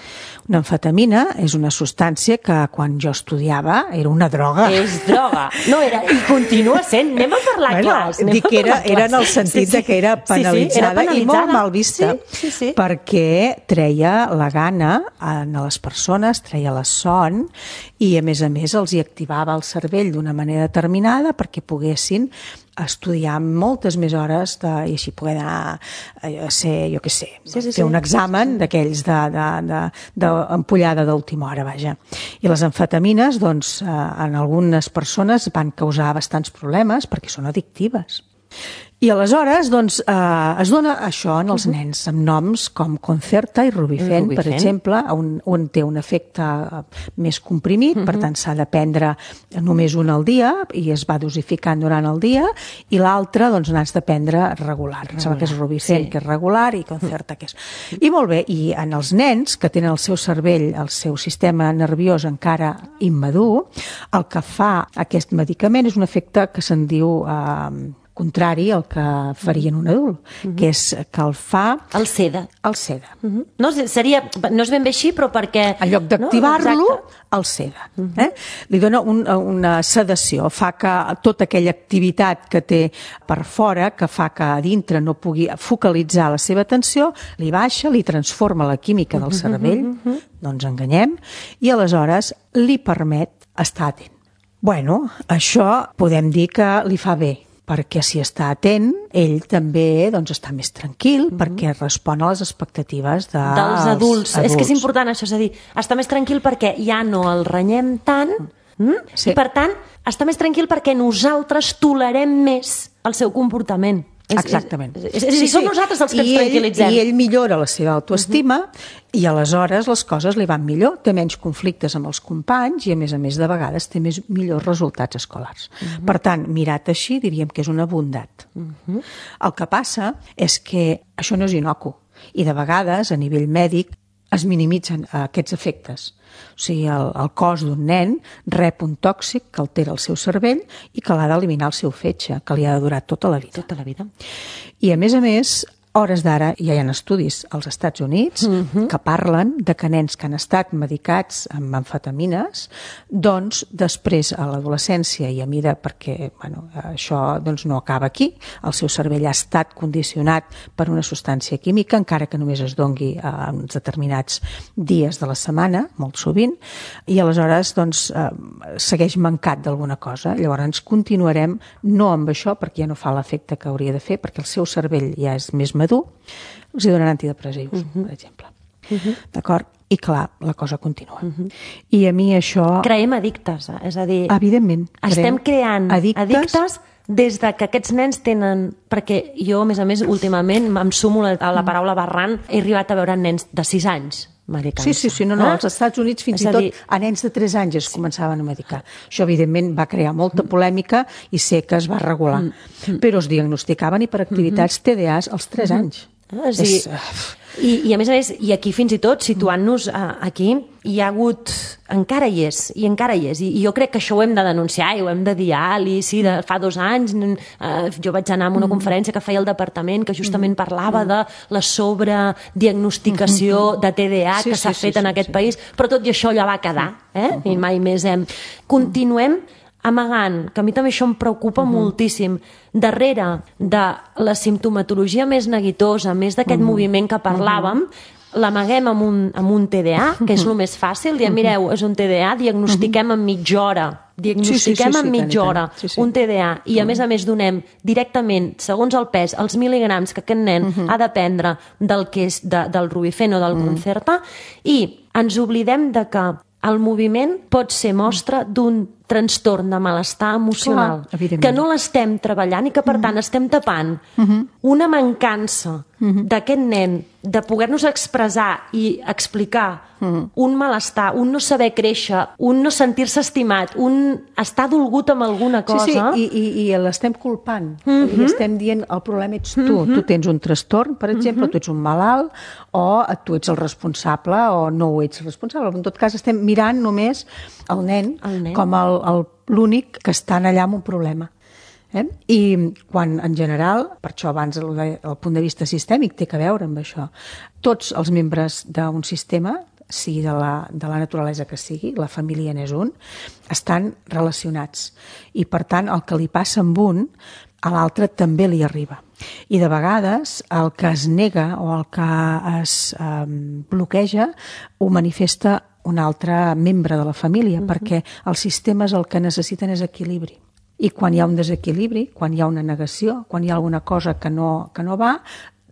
Una amfetamina és una substància que quan jo estudiava era una droga. És droga. No era, i continua sent. Anem a parlar bueno, clars. Dic que era, era en el sentit sí, sí. de que era penalitzada, sí, sí, era penalitzada i molt mal vista, sí, sí, sí. perquè treia la gana a les persones, treia la son i a més a més els hi activava el cervell d'una manera determinada perquè poguessin estudiar moltes més hores de, i així poder anar a ser, jo què sé, sí, sí, fer sí. un examen d'aquells d'ampollada d'última hora, vaja. I les amfetamines, doncs, en algunes persones van causar bastants problemes perquè són addictives. I aleshores, doncs, eh, es dona això en els nens, amb noms com Concerta i Rubifen, per exemple, un, un té un efecte més comprimit, uh-huh. per tant s'ha de prendre només un al dia i es va dosificant durant el dia, i l'altre, doncs, n'has de prendre regular. Em sembla que és Rubifen, sí. que és regular, i Concerta, que és... I molt bé, i en els nens que tenen el seu cervell, el seu sistema nerviós encara immadur, el que fa aquest medicament és un efecte que se'n diu... Eh, contrari al que farien un adult, uh-huh. que és que el fa... El seda. El seda. Uh-huh. No, seria, no és ben bé així, però perquè... En lloc d'activar-lo, no? El seda. Uh-huh. eh? Li dona un, una sedació, fa que tota aquella activitat que té per fora, que fa que a dintre no pugui focalitzar la seva atenció, li baixa, li transforma la química del cervell, uh-huh. no ens enganyem, i aleshores li permet estar atent. Bueno, això podem dir que li fa bé, perquè si està atent, ell també doncs, està més tranquil, mm-hmm. perquè respon a les expectatives de dels adults. adults. És que és important això, és a dir, està més tranquil perquè ja no el renyem tant, mm? sí. i per tant, està més tranquil perquè nosaltres tolerem més el seu comportament. Exactament. És, és, és, sí, sí. Som nosaltres els que I ens tranquil·litzem. Ell, I ell millora la seva autoestima uh-huh. i aleshores les coses li van millor, té menys conflictes amb els companys i a més a més de vegades té més millors resultats escolars. Uh-huh. Per tant, mirat així diríem que és una bondat. Uh-huh. El que passa és que això no és inocu i de vegades a nivell mèdic es minimitzen aquests efectes. O sigui, el, el cos d'un nen rep un tòxic que altera el seu cervell i que l'ha d'eliminar el seu fetge, que li ha de durar tota la vida. Tota la vida. I a més a més, hores d'ara ja hi ha estudis als Estats Units uh-huh. que parlen de que nens que han estat medicats amb amfetamines, doncs després a l'adolescència i a mida, perquè bueno, això doncs, no acaba aquí, el seu cervell ha estat condicionat per una substància química, encara que només es dongui a uns determinats dies de la setmana, molt sovint, i aleshores doncs, eh, segueix mancat d'alguna cosa. Llavors continuarem no amb això, perquè ja no fa l'efecte que hauria de fer, perquè el seu cervell ja és més madur, els hi donen antidepressius, uh-huh. per exemple. Uh-huh. D'acord? I clar, la cosa continua. Uh-huh. I a mi això... Creem addictes, eh? És a dir... Evidentment. Estem creant addictes, addictes des de que aquests nens tenen... Perquè jo, a més a més, últimament em sumo a la paraula barrant, he arribat a veure nens de sis anys medicant-se. Sí, sí, sí, no, no, als Estats Units fins i tot dir... a nens de tres anys es començaven a medicar. Això, evidentment, va crear molta polèmica i sé que es va regular. Mm. Però es diagnosticaven hiperactivitats T D As als tres anys. Ah, sí. És... I, I a més a més, i aquí fins i tot, situant-nos uh, aquí, hi ha hagut, encara hi és, i encara hi és, i, i jo crec que això ho hem de denunciar i ho hem de dir, Ali, sí, de, fa dos anys uh, jo vaig anar a una conferència que feia el departament que justament parlava de la sobrediagnosticació de T D A sí, que s'ha sí, fet sí, en aquest sí. país, però tot i això allò va quedar, eh? I mai més hem... Continuem amagant, que a mi també això em preocupa uh-huh. moltíssim, darrere de la simptomatologia més neguitosa, més d'aquest uh-huh. moviment que parlàvem, l'amaguem amb, un, amb un T D A, que és el més fàcil, diem, mireu, és un T D A, diagnostiquem en mitja hora, diagnostiquem sí, sí, sí, sí, en mitja hora sí, sí. un T D A i a més a més donem directament, segons el pes, els mil·ligrams que aquest nen uh-huh. ha de prendre del, que és de, del Rubifen o del uh-huh. Concerta, i ens oblidem de que el moviment pot ser mostra d'un trastorn de malestar emocional, clar, que no l'estem treballant i que, per tant, estem tapant uh-huh. una mancança uh-huh. d'aquest nen de poder-nos expressar i explicar uh-huh. un malestar, un no saber créixer, un no sentir-se estimat, un estar dolgut amb alguna cosa. Sí, sí, i, i, i l'estem culpant. Uh-huh. I estem dient, el problema ets tu. Uh-huh. Tu tens un trastorn, per exemple, uh-huh. tu ets un malalt, o tu ets el responsable, o no ho ets responsable. En tot cas, estem mirant només el nen, el nen. com el El, l'únic que estan allà amb un problema. Eh? I quan, en general, per això abans el, el punt de vista sistèmic té que veure amb això, tots els membres d'un sistema, sigui de la, de la naturalesa que sigui, la família n'és un, estan relacionats. I, per tant, el que li passa amb un, a l'altre també li arriba. I de vegades el que es nega o el que es eh, bloqueja ho manifesta un altre membre de la família, uh-huh. perquè els sistemes el que necessiten és equilibri. I quan hi ha un desequilibri, quan hi ha una negació, quan hi ha alguna cosa que no, que no va,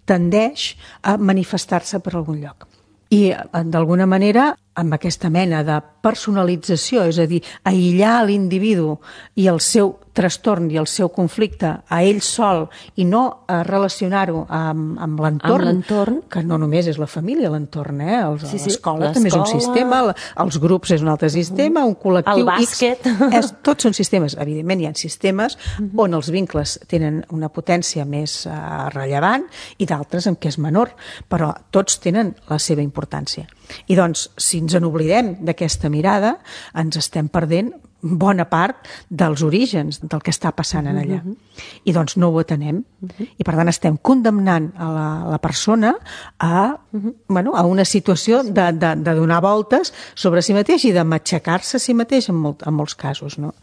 tendeix a manifestar-se per algun lloc. I, d'alguna manera, amb aquesta mena de personalització, és a dir, aïllar l'individu i el seu trastorn i el seu conflicte a ell sol i no a relacionar-ho amb, amb l'entorn, que no només és la família, l'entorn, eh? Sí, sí, l'escola també és un sistema, els grups és un altre sistema, un col·lectiu... El bàsquet... X, és, tots són sistemes. Evidentment, hi ha sistemes uh-huh. on els vincles tenen una potència més uh, rellevant i d'altres en què és menor, però tots tenen la seva importància. I doncs, si ens en oblidem d'aquesta mirada, ens estem perdent bona part dels orígens del que està passant en allà. Uh-huh. I doncs no ho atenem. Uh-huh. I per tant estem condemnant a la, la persona a, uh-huh. bueno, a una situació de, de, de donar voltes sobre si mateix i de matxacar-se a si mateix en, molt, en molts casos, no?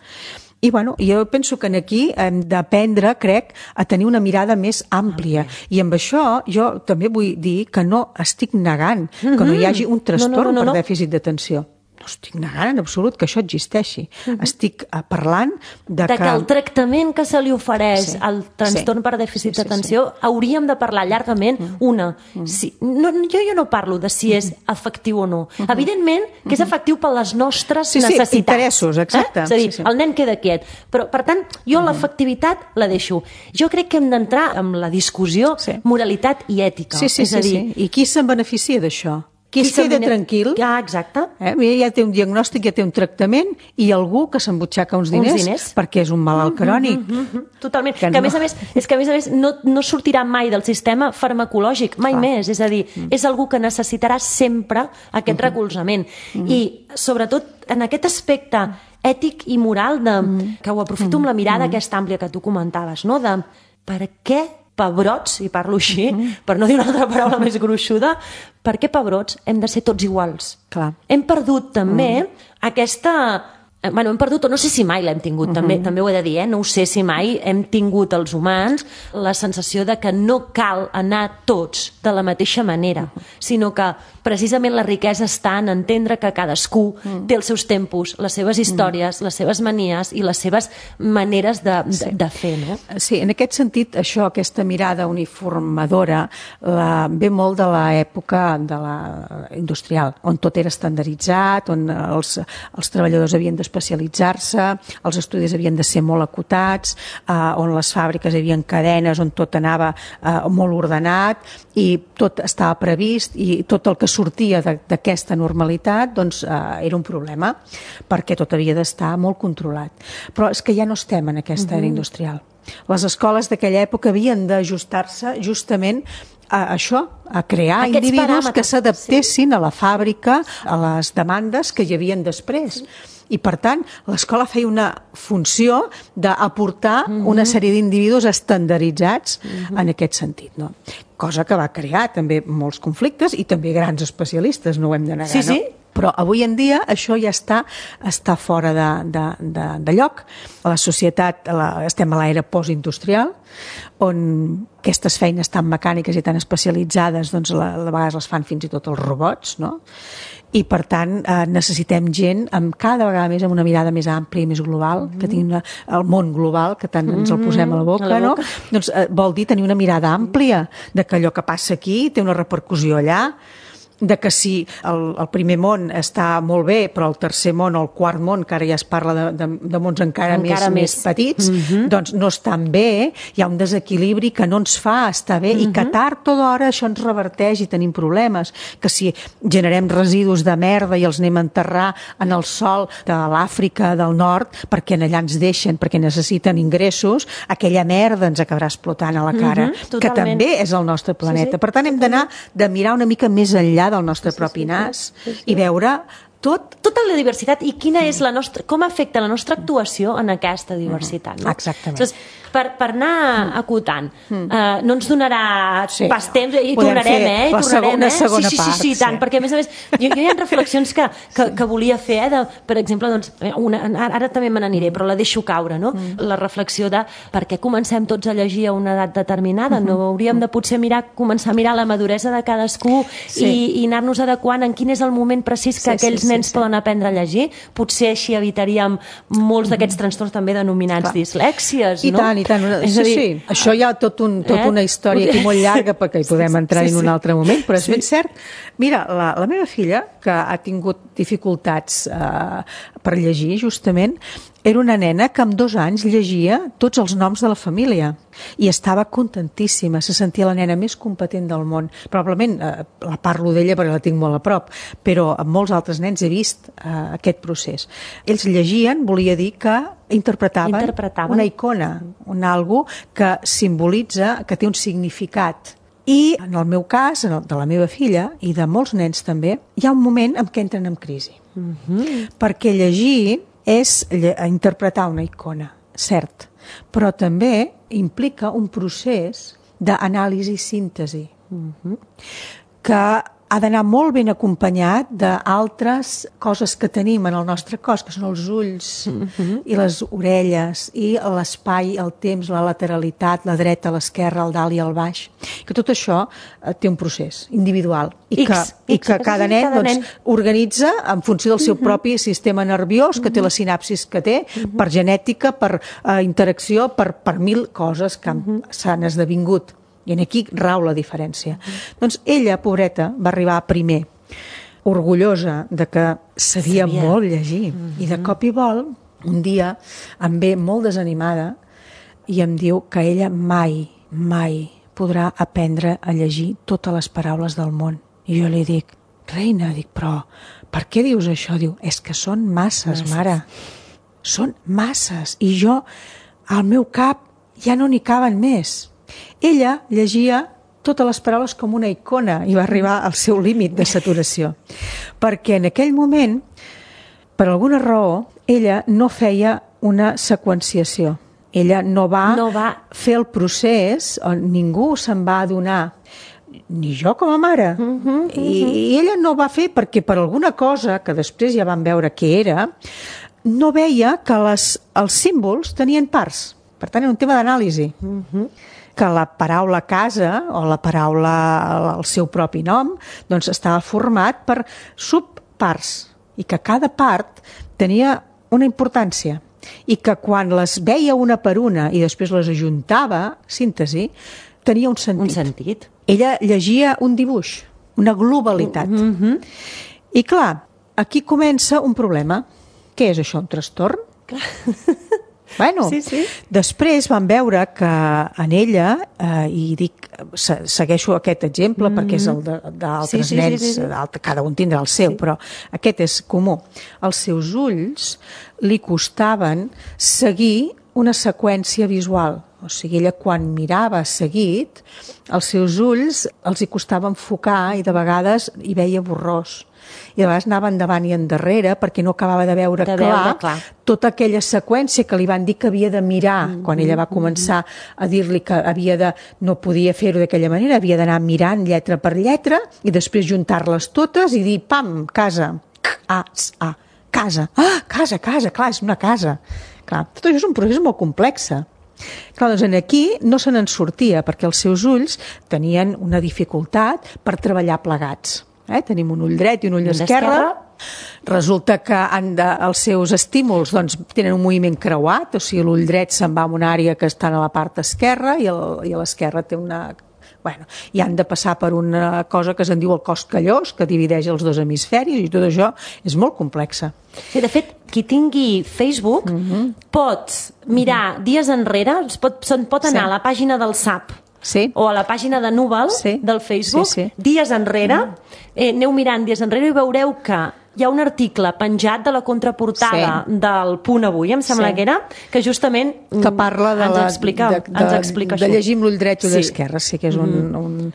I bueno, jo penso que aquí hem d'aprendre, crec, a tenir una mirada més àmplia. I amb això jo també vull dir que no estic negant que no hi hagi un trastorn no, no, no, no, no. per dèficit d'atenció. No estic negant en absolut que això existeixi. Uh-huh. Estic uh, parlant de, de que... que el tractament que se li ofereix sí, al trastorn sí, per dèficit sí, d'atenció sí, sí. hauríem de parlar llargament. Uh-huh. Una, uh-huh. si, no, jo, jo no parlo de si és efectiu o no. Uh-huh. Evidentment que és efectiu per les nostres sí, sí, necessitats. interessos, exacte. Eh? És a dir, sí, sí. el nen queda quiet. Però, per tant, jo uh-huh. l'efectivitat la deixo. Jo crec que hem d'entrar en la discussió sí. moralitat i ètica. Sí, sí, és a dir, sí, sí. I qui se'n beneficia d'això? Qui es queda tranquil, ah, exacte. Eh? Ja té un diagnòstic, ja té un tractament i algú que s'embutxaca uns diners, uns diners perquè és un malalt crònic. Mm -hmm, mm -hmm. Totalment. Que, que a no. més a més, és que a més a més no, no sortirà mai del sistema farmacològic, mai Clar. més. És a dir, mm. és algú que necessitarà sempre aquest mm -hmm. recolzament. Mm -hmm. I, sobretot, en aquest aspecte ètic i moral, de, mm. que ho aprofito mm. amb la mirada mm. aquesta àmplia que tu comentaves, no? De per què pebrots, i parlo així, uh-huh. per no dir una altra paraula més gruixuda, per què pebrots hem de ser tots iguals? Clar. Hem perdut també uh-huh. aquesta... Bueno, hem perdut, o no sé si mai l'hem tingut, uh-huh. també, també ho he de dir, eh? No ho sé si mai hem tingut els humans la sensació de que no cal anar tots de la mateixa manera, uh-huh. sinó que precisament la riquesa està en entendre que cadascú uh-huh. té els seus tempos, les seves històries, uh-huh. les seves manies i les seves maneres de, de, sí. de fer, no? Sí, en aquest sentit, això, aquesta mirada uniformadora, la, ve molt de l'època de la industrial, on tot era estandarditzat, on els, els treballadors havien de especialitzar-se, els estudis havien de ser molt acotats, eh, on les fàbriques hi havia cadenes, on tot anava eh, molt ordenat i tot estava previst i tot el que sortia d'aquesta normalitat doncs, eh, era un problema perquè tot havia d'estar molt controlat. Però és que ja no estem en aquesta era industrial. Les escoles d'aquella època havien d'ajustar-se justament a això, a crear Aquests individus paràmetres, que s'adaptessin sí. a la fàbrica, a les demandes que hi havien després. I, per tant, l'escola feia una funció d'aportar mm-hmm. una sèrie d'individus estandarditzats mm-hmm. en aquest sentit, no? Cosa que va crear també molts conflictes i també grans especialistes, no ho hem de negar, sí, sí. no? Però avui en dia això ja està, està fora de, de, de, de lloc. A la societat la, estem a l'era postindustrial, on aquestes feines tan mecàniques i tan especialitzades doncs, a, a vegades les fan fins i tot els robots, no? I per tant eh, necessitem gent amb cada vegada més amb una mirada més àmplia i més global, mm-hmm. que tingui una, el món global, que tant ens el posem a la boca, a la boca. no? Doncs eh, vol dir tenir una mirada àmplia de que allò que passa aquí té una repercussió allà, de que si el, el primer món està molt bé, però el tercer món o el quart món, que ara ja es parla de, de, de mons encara, encara més, més petits, mm-hmm. doncs no estan bé, hi ha un desequilibri que no ens fa estar bé, mm-hmm. i que tard o d'hora això ens reverteix i tenim problemes, que si generem residus de merda i els anem a enterrar en el sòl de l'Àfrica del Nord, perquè allà ens deixen, perquè necessiten ingressos, aquella merda ens acabarà explotant a la cara, mm-hmm. que també és el nostre planeta. Sí, sí. Per tant, hem d'anar de mirar una mica més enllà del nostre propi nas sí, sí, sí. i veure tot... Tota la diversitat i quina és la nostra... com afecta la nostra actuació en aquesta diversitat. No? Exactament. Llavors, per, per anar acotant, mm. uh, no ens donarà sí. pas temps, i Podem tornarem, eh? I la tornarem, segona, eh? segona sí, sí, part. Sí, sí, sí, tant, sí. perquè a més a més, jo, jo hi ha reflexions que, que, que volia fer, eh? De, per exemple, doncs, una, ara, ara també me n'aniré, però la deixo caure, no? Mm. La reflexió de per què comencem tots a llegir a una edat determinada, mm-hmm. no hauríem de potser mirar, començar a mirar la maduresa de cadascú sí. i, i anar-nos adequant en quin és el moment precís que sí, aquells sí, nens sí, poden sí. aprendre a llegir, potser així evitaríem molts d'aquests trastorns també denominats Clar. dislèxies, I no? tant, i tant. És sí, dir, sí. Això hi ha tot un, tot eh? una història aquí molt llarga perquè hi podem entrar sí, sí, sí. en un altre moment, però és sí. ben cert. Mira, la, la meva filla, que ha tingut dificultats eh, per llegir, justament, era una nena que amb dos anys llegia tots els noms de la família i estava contentíssima, se sentia la nena més competent del món. Probablement eh, la parlo d'ella perquè la tinc molt a prop, però amb molts altres nens he vist eh, aquest procés. Ells llegien, volia dir que interpretaven, interpretaven. una icona, un algo que simbolitza, que té un significat. I en el meu cas, en el de la meva filla i de molts nens també, hi ha un moment en què entren en crisi. Mm-hmm. Perquè llegir és interpretar una icona, cert, però també implica un procés d'anàlisi i síntesi, mm-hmm. que ha d'anar molt ben acompanyat d'altres coses que tenim en el nostre cos, que són els ulls mm-hmm. i les orelles, i l'espai, el temps, la lateralitat, la dreta, l'esquerra, el dalt i el baix. Que tot això eh, té un procés individual i que, X, i que X, cada nen, cada doncs, nen organitza en funció del seu mm-hmm. propi sistema nerviós, que té la sinapsis que té, mm-hmm. per genètica, per eh, interacció, per, per mil coses que mm-hmm. s'han esdevingut. I aquí rau la diferència. Mm. Doncs ella, pobreta, va arribar primer, orgullosa de que sabia, sabia. molt llegir. Mm-hmm. I de cop i vol, un dia, em ve molt desanimada i em diu que ella mai, mai podrà aprendre a llegir totes les paraules del món. I jo li dic, reina, dic, però per què dius això? Diu, és que són masses, masses. mare. Són masses. I jo, al meu cap, ja no n'hi caben més. Ella llegia totes les paraules com una icona i va arribar al seu límit de saturació. Perquè en aquell moment, per alguna raó, ella no feia una seqüenciació. Ella no va, no va fer el procés, on ningú se'n va adonar, ni jo com a mare. Uh -huh, uh -huh. I, I ella no va fer perquè per alguna cosa, que després ja vam veure què era, no veia que les, els símbols tenien parts. Per tant, era un tema d'anàlisi. Uh -huh. Que la paraula casa o la paraula, el seu propi nom, doncs estava format per subparts i que cada part tenia una importància i que quan les veia una per una i després les ajuntava, síntesi, tenia un sentit. Un sentit. Ella llegia un dibuix, una globalitat. Mm-hmm. I clar, aquí comença un problema. Què és això, un trastorn? Clar. Bueno, sí, sí. Després vam veure que en ella, eh, i dic, segueixo aquest exemple mm-hmm. perquè és el d'altres sí, sí, nens, sí, sí, sí. cada un tindrà el seu, sí. però aquest és comú. Els seus ulls li costaven seguir una seqüència visual. O sigui, ella quan mirava seguit, els seus ulls els hi costava enfocar i de vegades hi veia borrós. I de vegades anava endavant i endarrere perquè no acabava de veure, de clar, veure clar tota aquella seqüència que li van dir que havia de mirar mm-hmm. quan ella va començar a dir-li que havia de, no podia fer-ho d'aquella manera, havia d'anar mirant lletra per lletra i després juntar-les totes i dir, pam, casa. C-A-S-A, casa. Ah, casa, casa, clar, és una casa. Clar, tot això és un procés molt complex. Clar, doncs aquí no se n'en sortia perquè els seus ulls tenien una dificultat per treballar plegats. Eh? Tenim un ull dret i un ull esquerre. Resulta que han de, els seus estímuls doncs, tenen un moviment creuat, o sigui, l'ull dret se'n va a una àrea que està a la part esquerra i, el, i a l'esquerra té una... Bueno, i han de passar per una cosa que se'n diu el cos callós, que divideix els dos hemisferis, i tot això és molt complexa. Sí, de fet, qui tingui Facebook mm-hmm. pot mirar mm-hmm. dies enrere, pot, se'n pot anar sí. a la pàgina del S A P, sí. o a la pàgina de Núvol sí. del Facebook, sí, sí. dies enrere, eh, aneu mirant dies enrere i veureu que hi ha un article penjat de la contraportada sí. del Punt Avui, em sembla sí. que era, que justament que parla de ens, la, explica, de, de, ens explica de això. llegir amb l'ull dret i l'ull sí. esquerre, sí que és un... Mm. un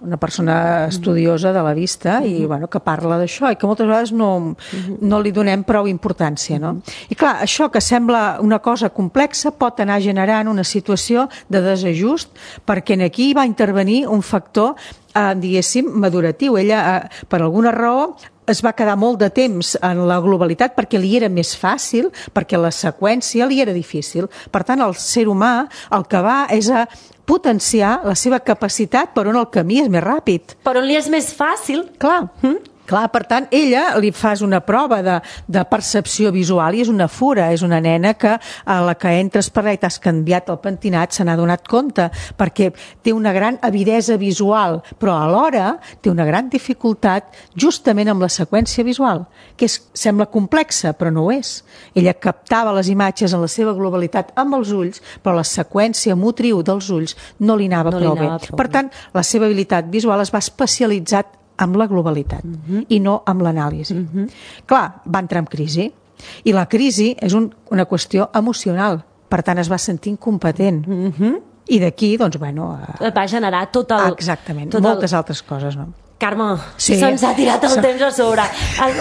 una persona estudiosa de la vista i bueno, que parla d'això i que moltes vegades no, no li donem prou importància. No? I clar, això que sembla una cosa complexa pot anar generant una situació de desajust perquè aquí va intervenir un factor, eh, diguéssim, maduratiu. Ella, eh, per alguna raó, es va quedar molt de temps en la globalitat perquè li era més fàcil, perquè la seqüència li era difícil. Per tant, el ser humà el que va és a potenciar la seva capacitat per on el camí és més ràpid. Per on li és més fàcil. Clar. Mm? Clar, per tant, ella li fas una prova de, de percepció visual i és una fura, és una nena que a la que entres per allà i t'has canviat el pentinat se n'ha donat compte, perquè té una gran avidesa visual, però alhora té una gran dificultat justament amb la seqüència visual, que és, sembla complexa, però no ho és. Ella captava les imatges en la seva globalitat amb els ulls, però la seqüència motriu dels ulls no li anava, no prou, li anava bé. prou bé. Per tant, la seva habilitat visual es va especialitzar amb la globalitat uh-huh. i no amb l'anàlisi. Uh-huh. Clar, va entrar en crisi i la crisi és un, una qüestió emocional, per tant es va sentir incompetent. Uh-huh. I d'aquí, doncs, bueno... Eh, va generar tot el... Exactament, tot moltes el... altres coses, no? Carme, sí. se'ns ha tirat el sí. temps a sobre.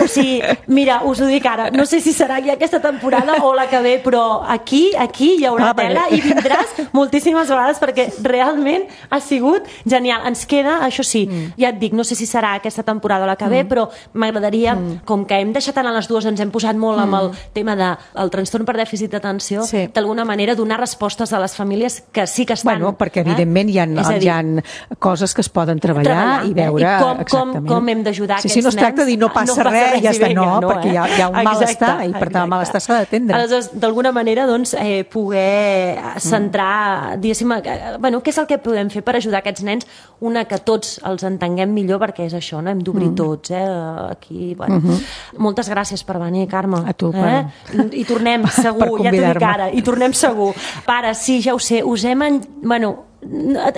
O sigui, mira, us ho dic ara, no sé si serà ja aquesta temporada o la que ve, però aquí, aquí hi haurà ah, tela i vindràs moltíssimes vegades perquè realment ha sigut genial. Ens queda, això sí, mm. ja et dic, no sé si serà aquesta temporada o la que ve, mm. però m'agradaria, mm. com que hem deixat anar les dues, ens hem posat molt mm. amb el tema del de, trastorn per dèficit d'atenció, sí. d'alguna manera donar respostes a les famílies que sí que estan... Bueno, perquè evidentment eh? hi, ha, dir, hi ha coses que es poden treballar, treballar i veure... Eh? I com, com, com hem d'ajudar sí, aquests sí, no es tracta de dir no passa, no passa res, res ja està, no, no perquè eh? hi, ha, hi ha un exacte, malestar i per tant el malestar s'ha d'atendre. Aleshores, d'alguna manera, doncs, eh, poder centrar, mm. diguéssim, eh, bueno, què és el que podem fer per ajudar aquests nens? Una, que tots els entenguem millor, perquè és això, no? Hem d'obrir mm. tots, eh? Aquí, bueno. Mm-hmm. Moltes gràcies per venir, Carme. A tu, eh? per... I tornem segur, ja t'ho dic ara, i tornem segur. Pare, sí, ja ho sé, us hem... En... Bueno,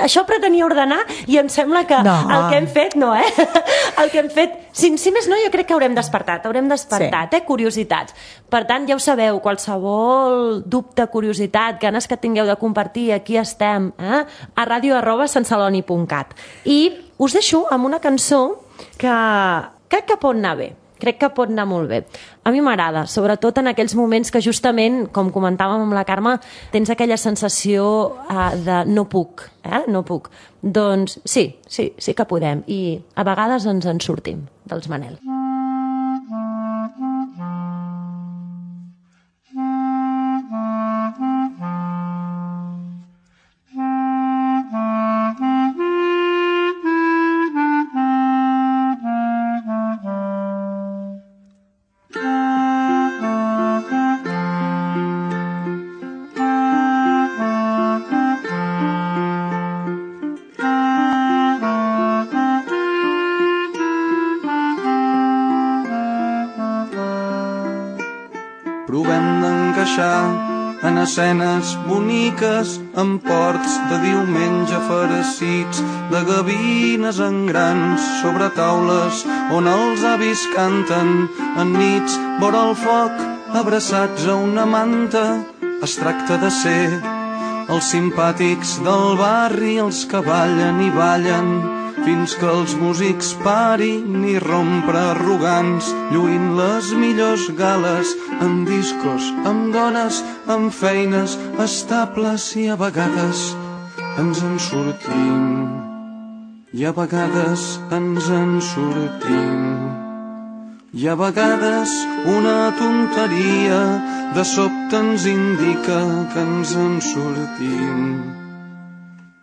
això pretenia ordenar i em sembla que no. el que hem fet no, eh? el que hem fet, si, si més no, jo crec que haurem despertat, haurem despertat sí. eh? curiositats, per tant ja ho sabeu, qualsevol dubte, curiositat, ganes que tingueu de compartir, aquí estem eh? a ràdio arroba santceloni punt cat i us deixo amb una cançó que crec que pot anar bé. Crec que pot anar molt bé. A mi m'agrada, sobretot en aquells moments que justament, com comentàvem amb la Carme, tens aquella sensació uh, de no puc, eh? no puc. Doncs sí, sí, sí que podem. I a vegades ens en sortim, dels Manel. En escenes boniques, en ports de diumenge farcits, de gavines en grans sobre taules on els avis canten en nits vora el foc, abraçats a una manta. Es tracta de ser els simpàtics del barri, els que ballen i ballen fins que els músics parin i rompre arrogants, lluint les millors gales amb discos, amb dones, amb feines estables i a vegades ens en sortim i a vegades ens en sortim I a vegades una tonteria de sobte ens indica que ens en sortim.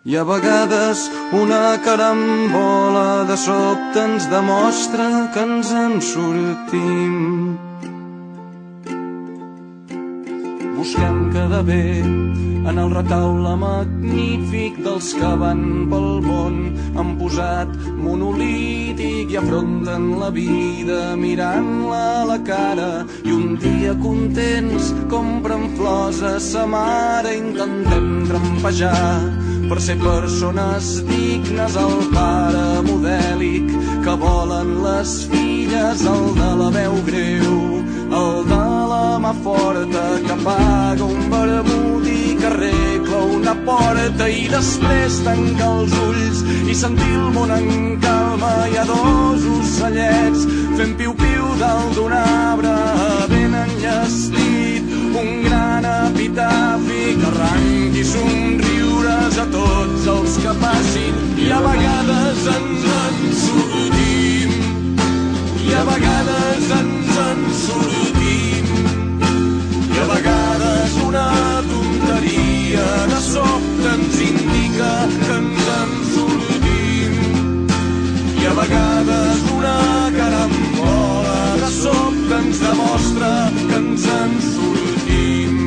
I a vegades una carambola de sobte ens demostra que ens en sortim. Busquem quedar bé en el retaule magnífic dels que van pel món. Han posat monolític i afronten la vida mirant-la a la cara. I un dia contents compren flors a sa mare. Intentem trampejar per ser persones dignes. El pare modèlic que volen les filles, el de la veu greu, el de la mà forta que paga un vermut i que arregla una porta i després tancar els ulls i sentir el món en calma. Hi ha dos ocellets fent piu-piu dalt d'un arbre ben enllestit, un gran epitafi que arranqui somriures a tots els que passin. I a vegades ens en sortim, i a vegades ens en sortim, i a vegades una tonteria de sobte ens indica que ens en sortim, i a vegades una carambola de sobte ens demostra que ens en sortim.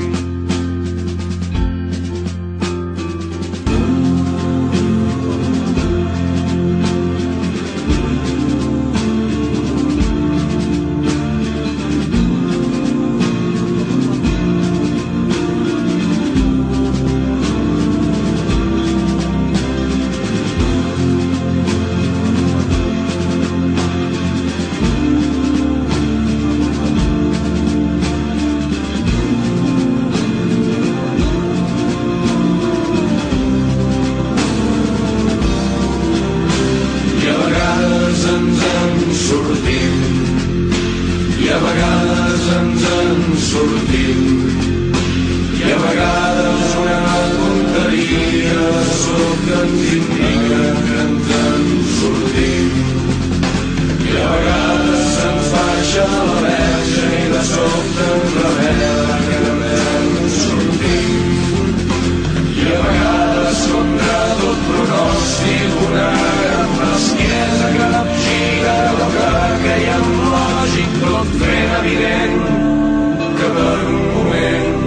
Que per un moment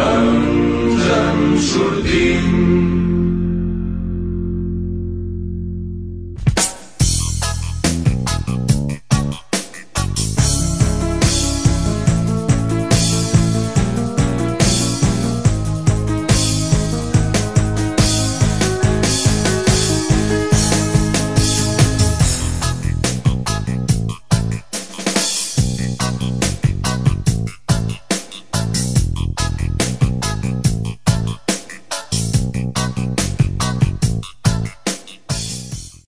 ens en sortim.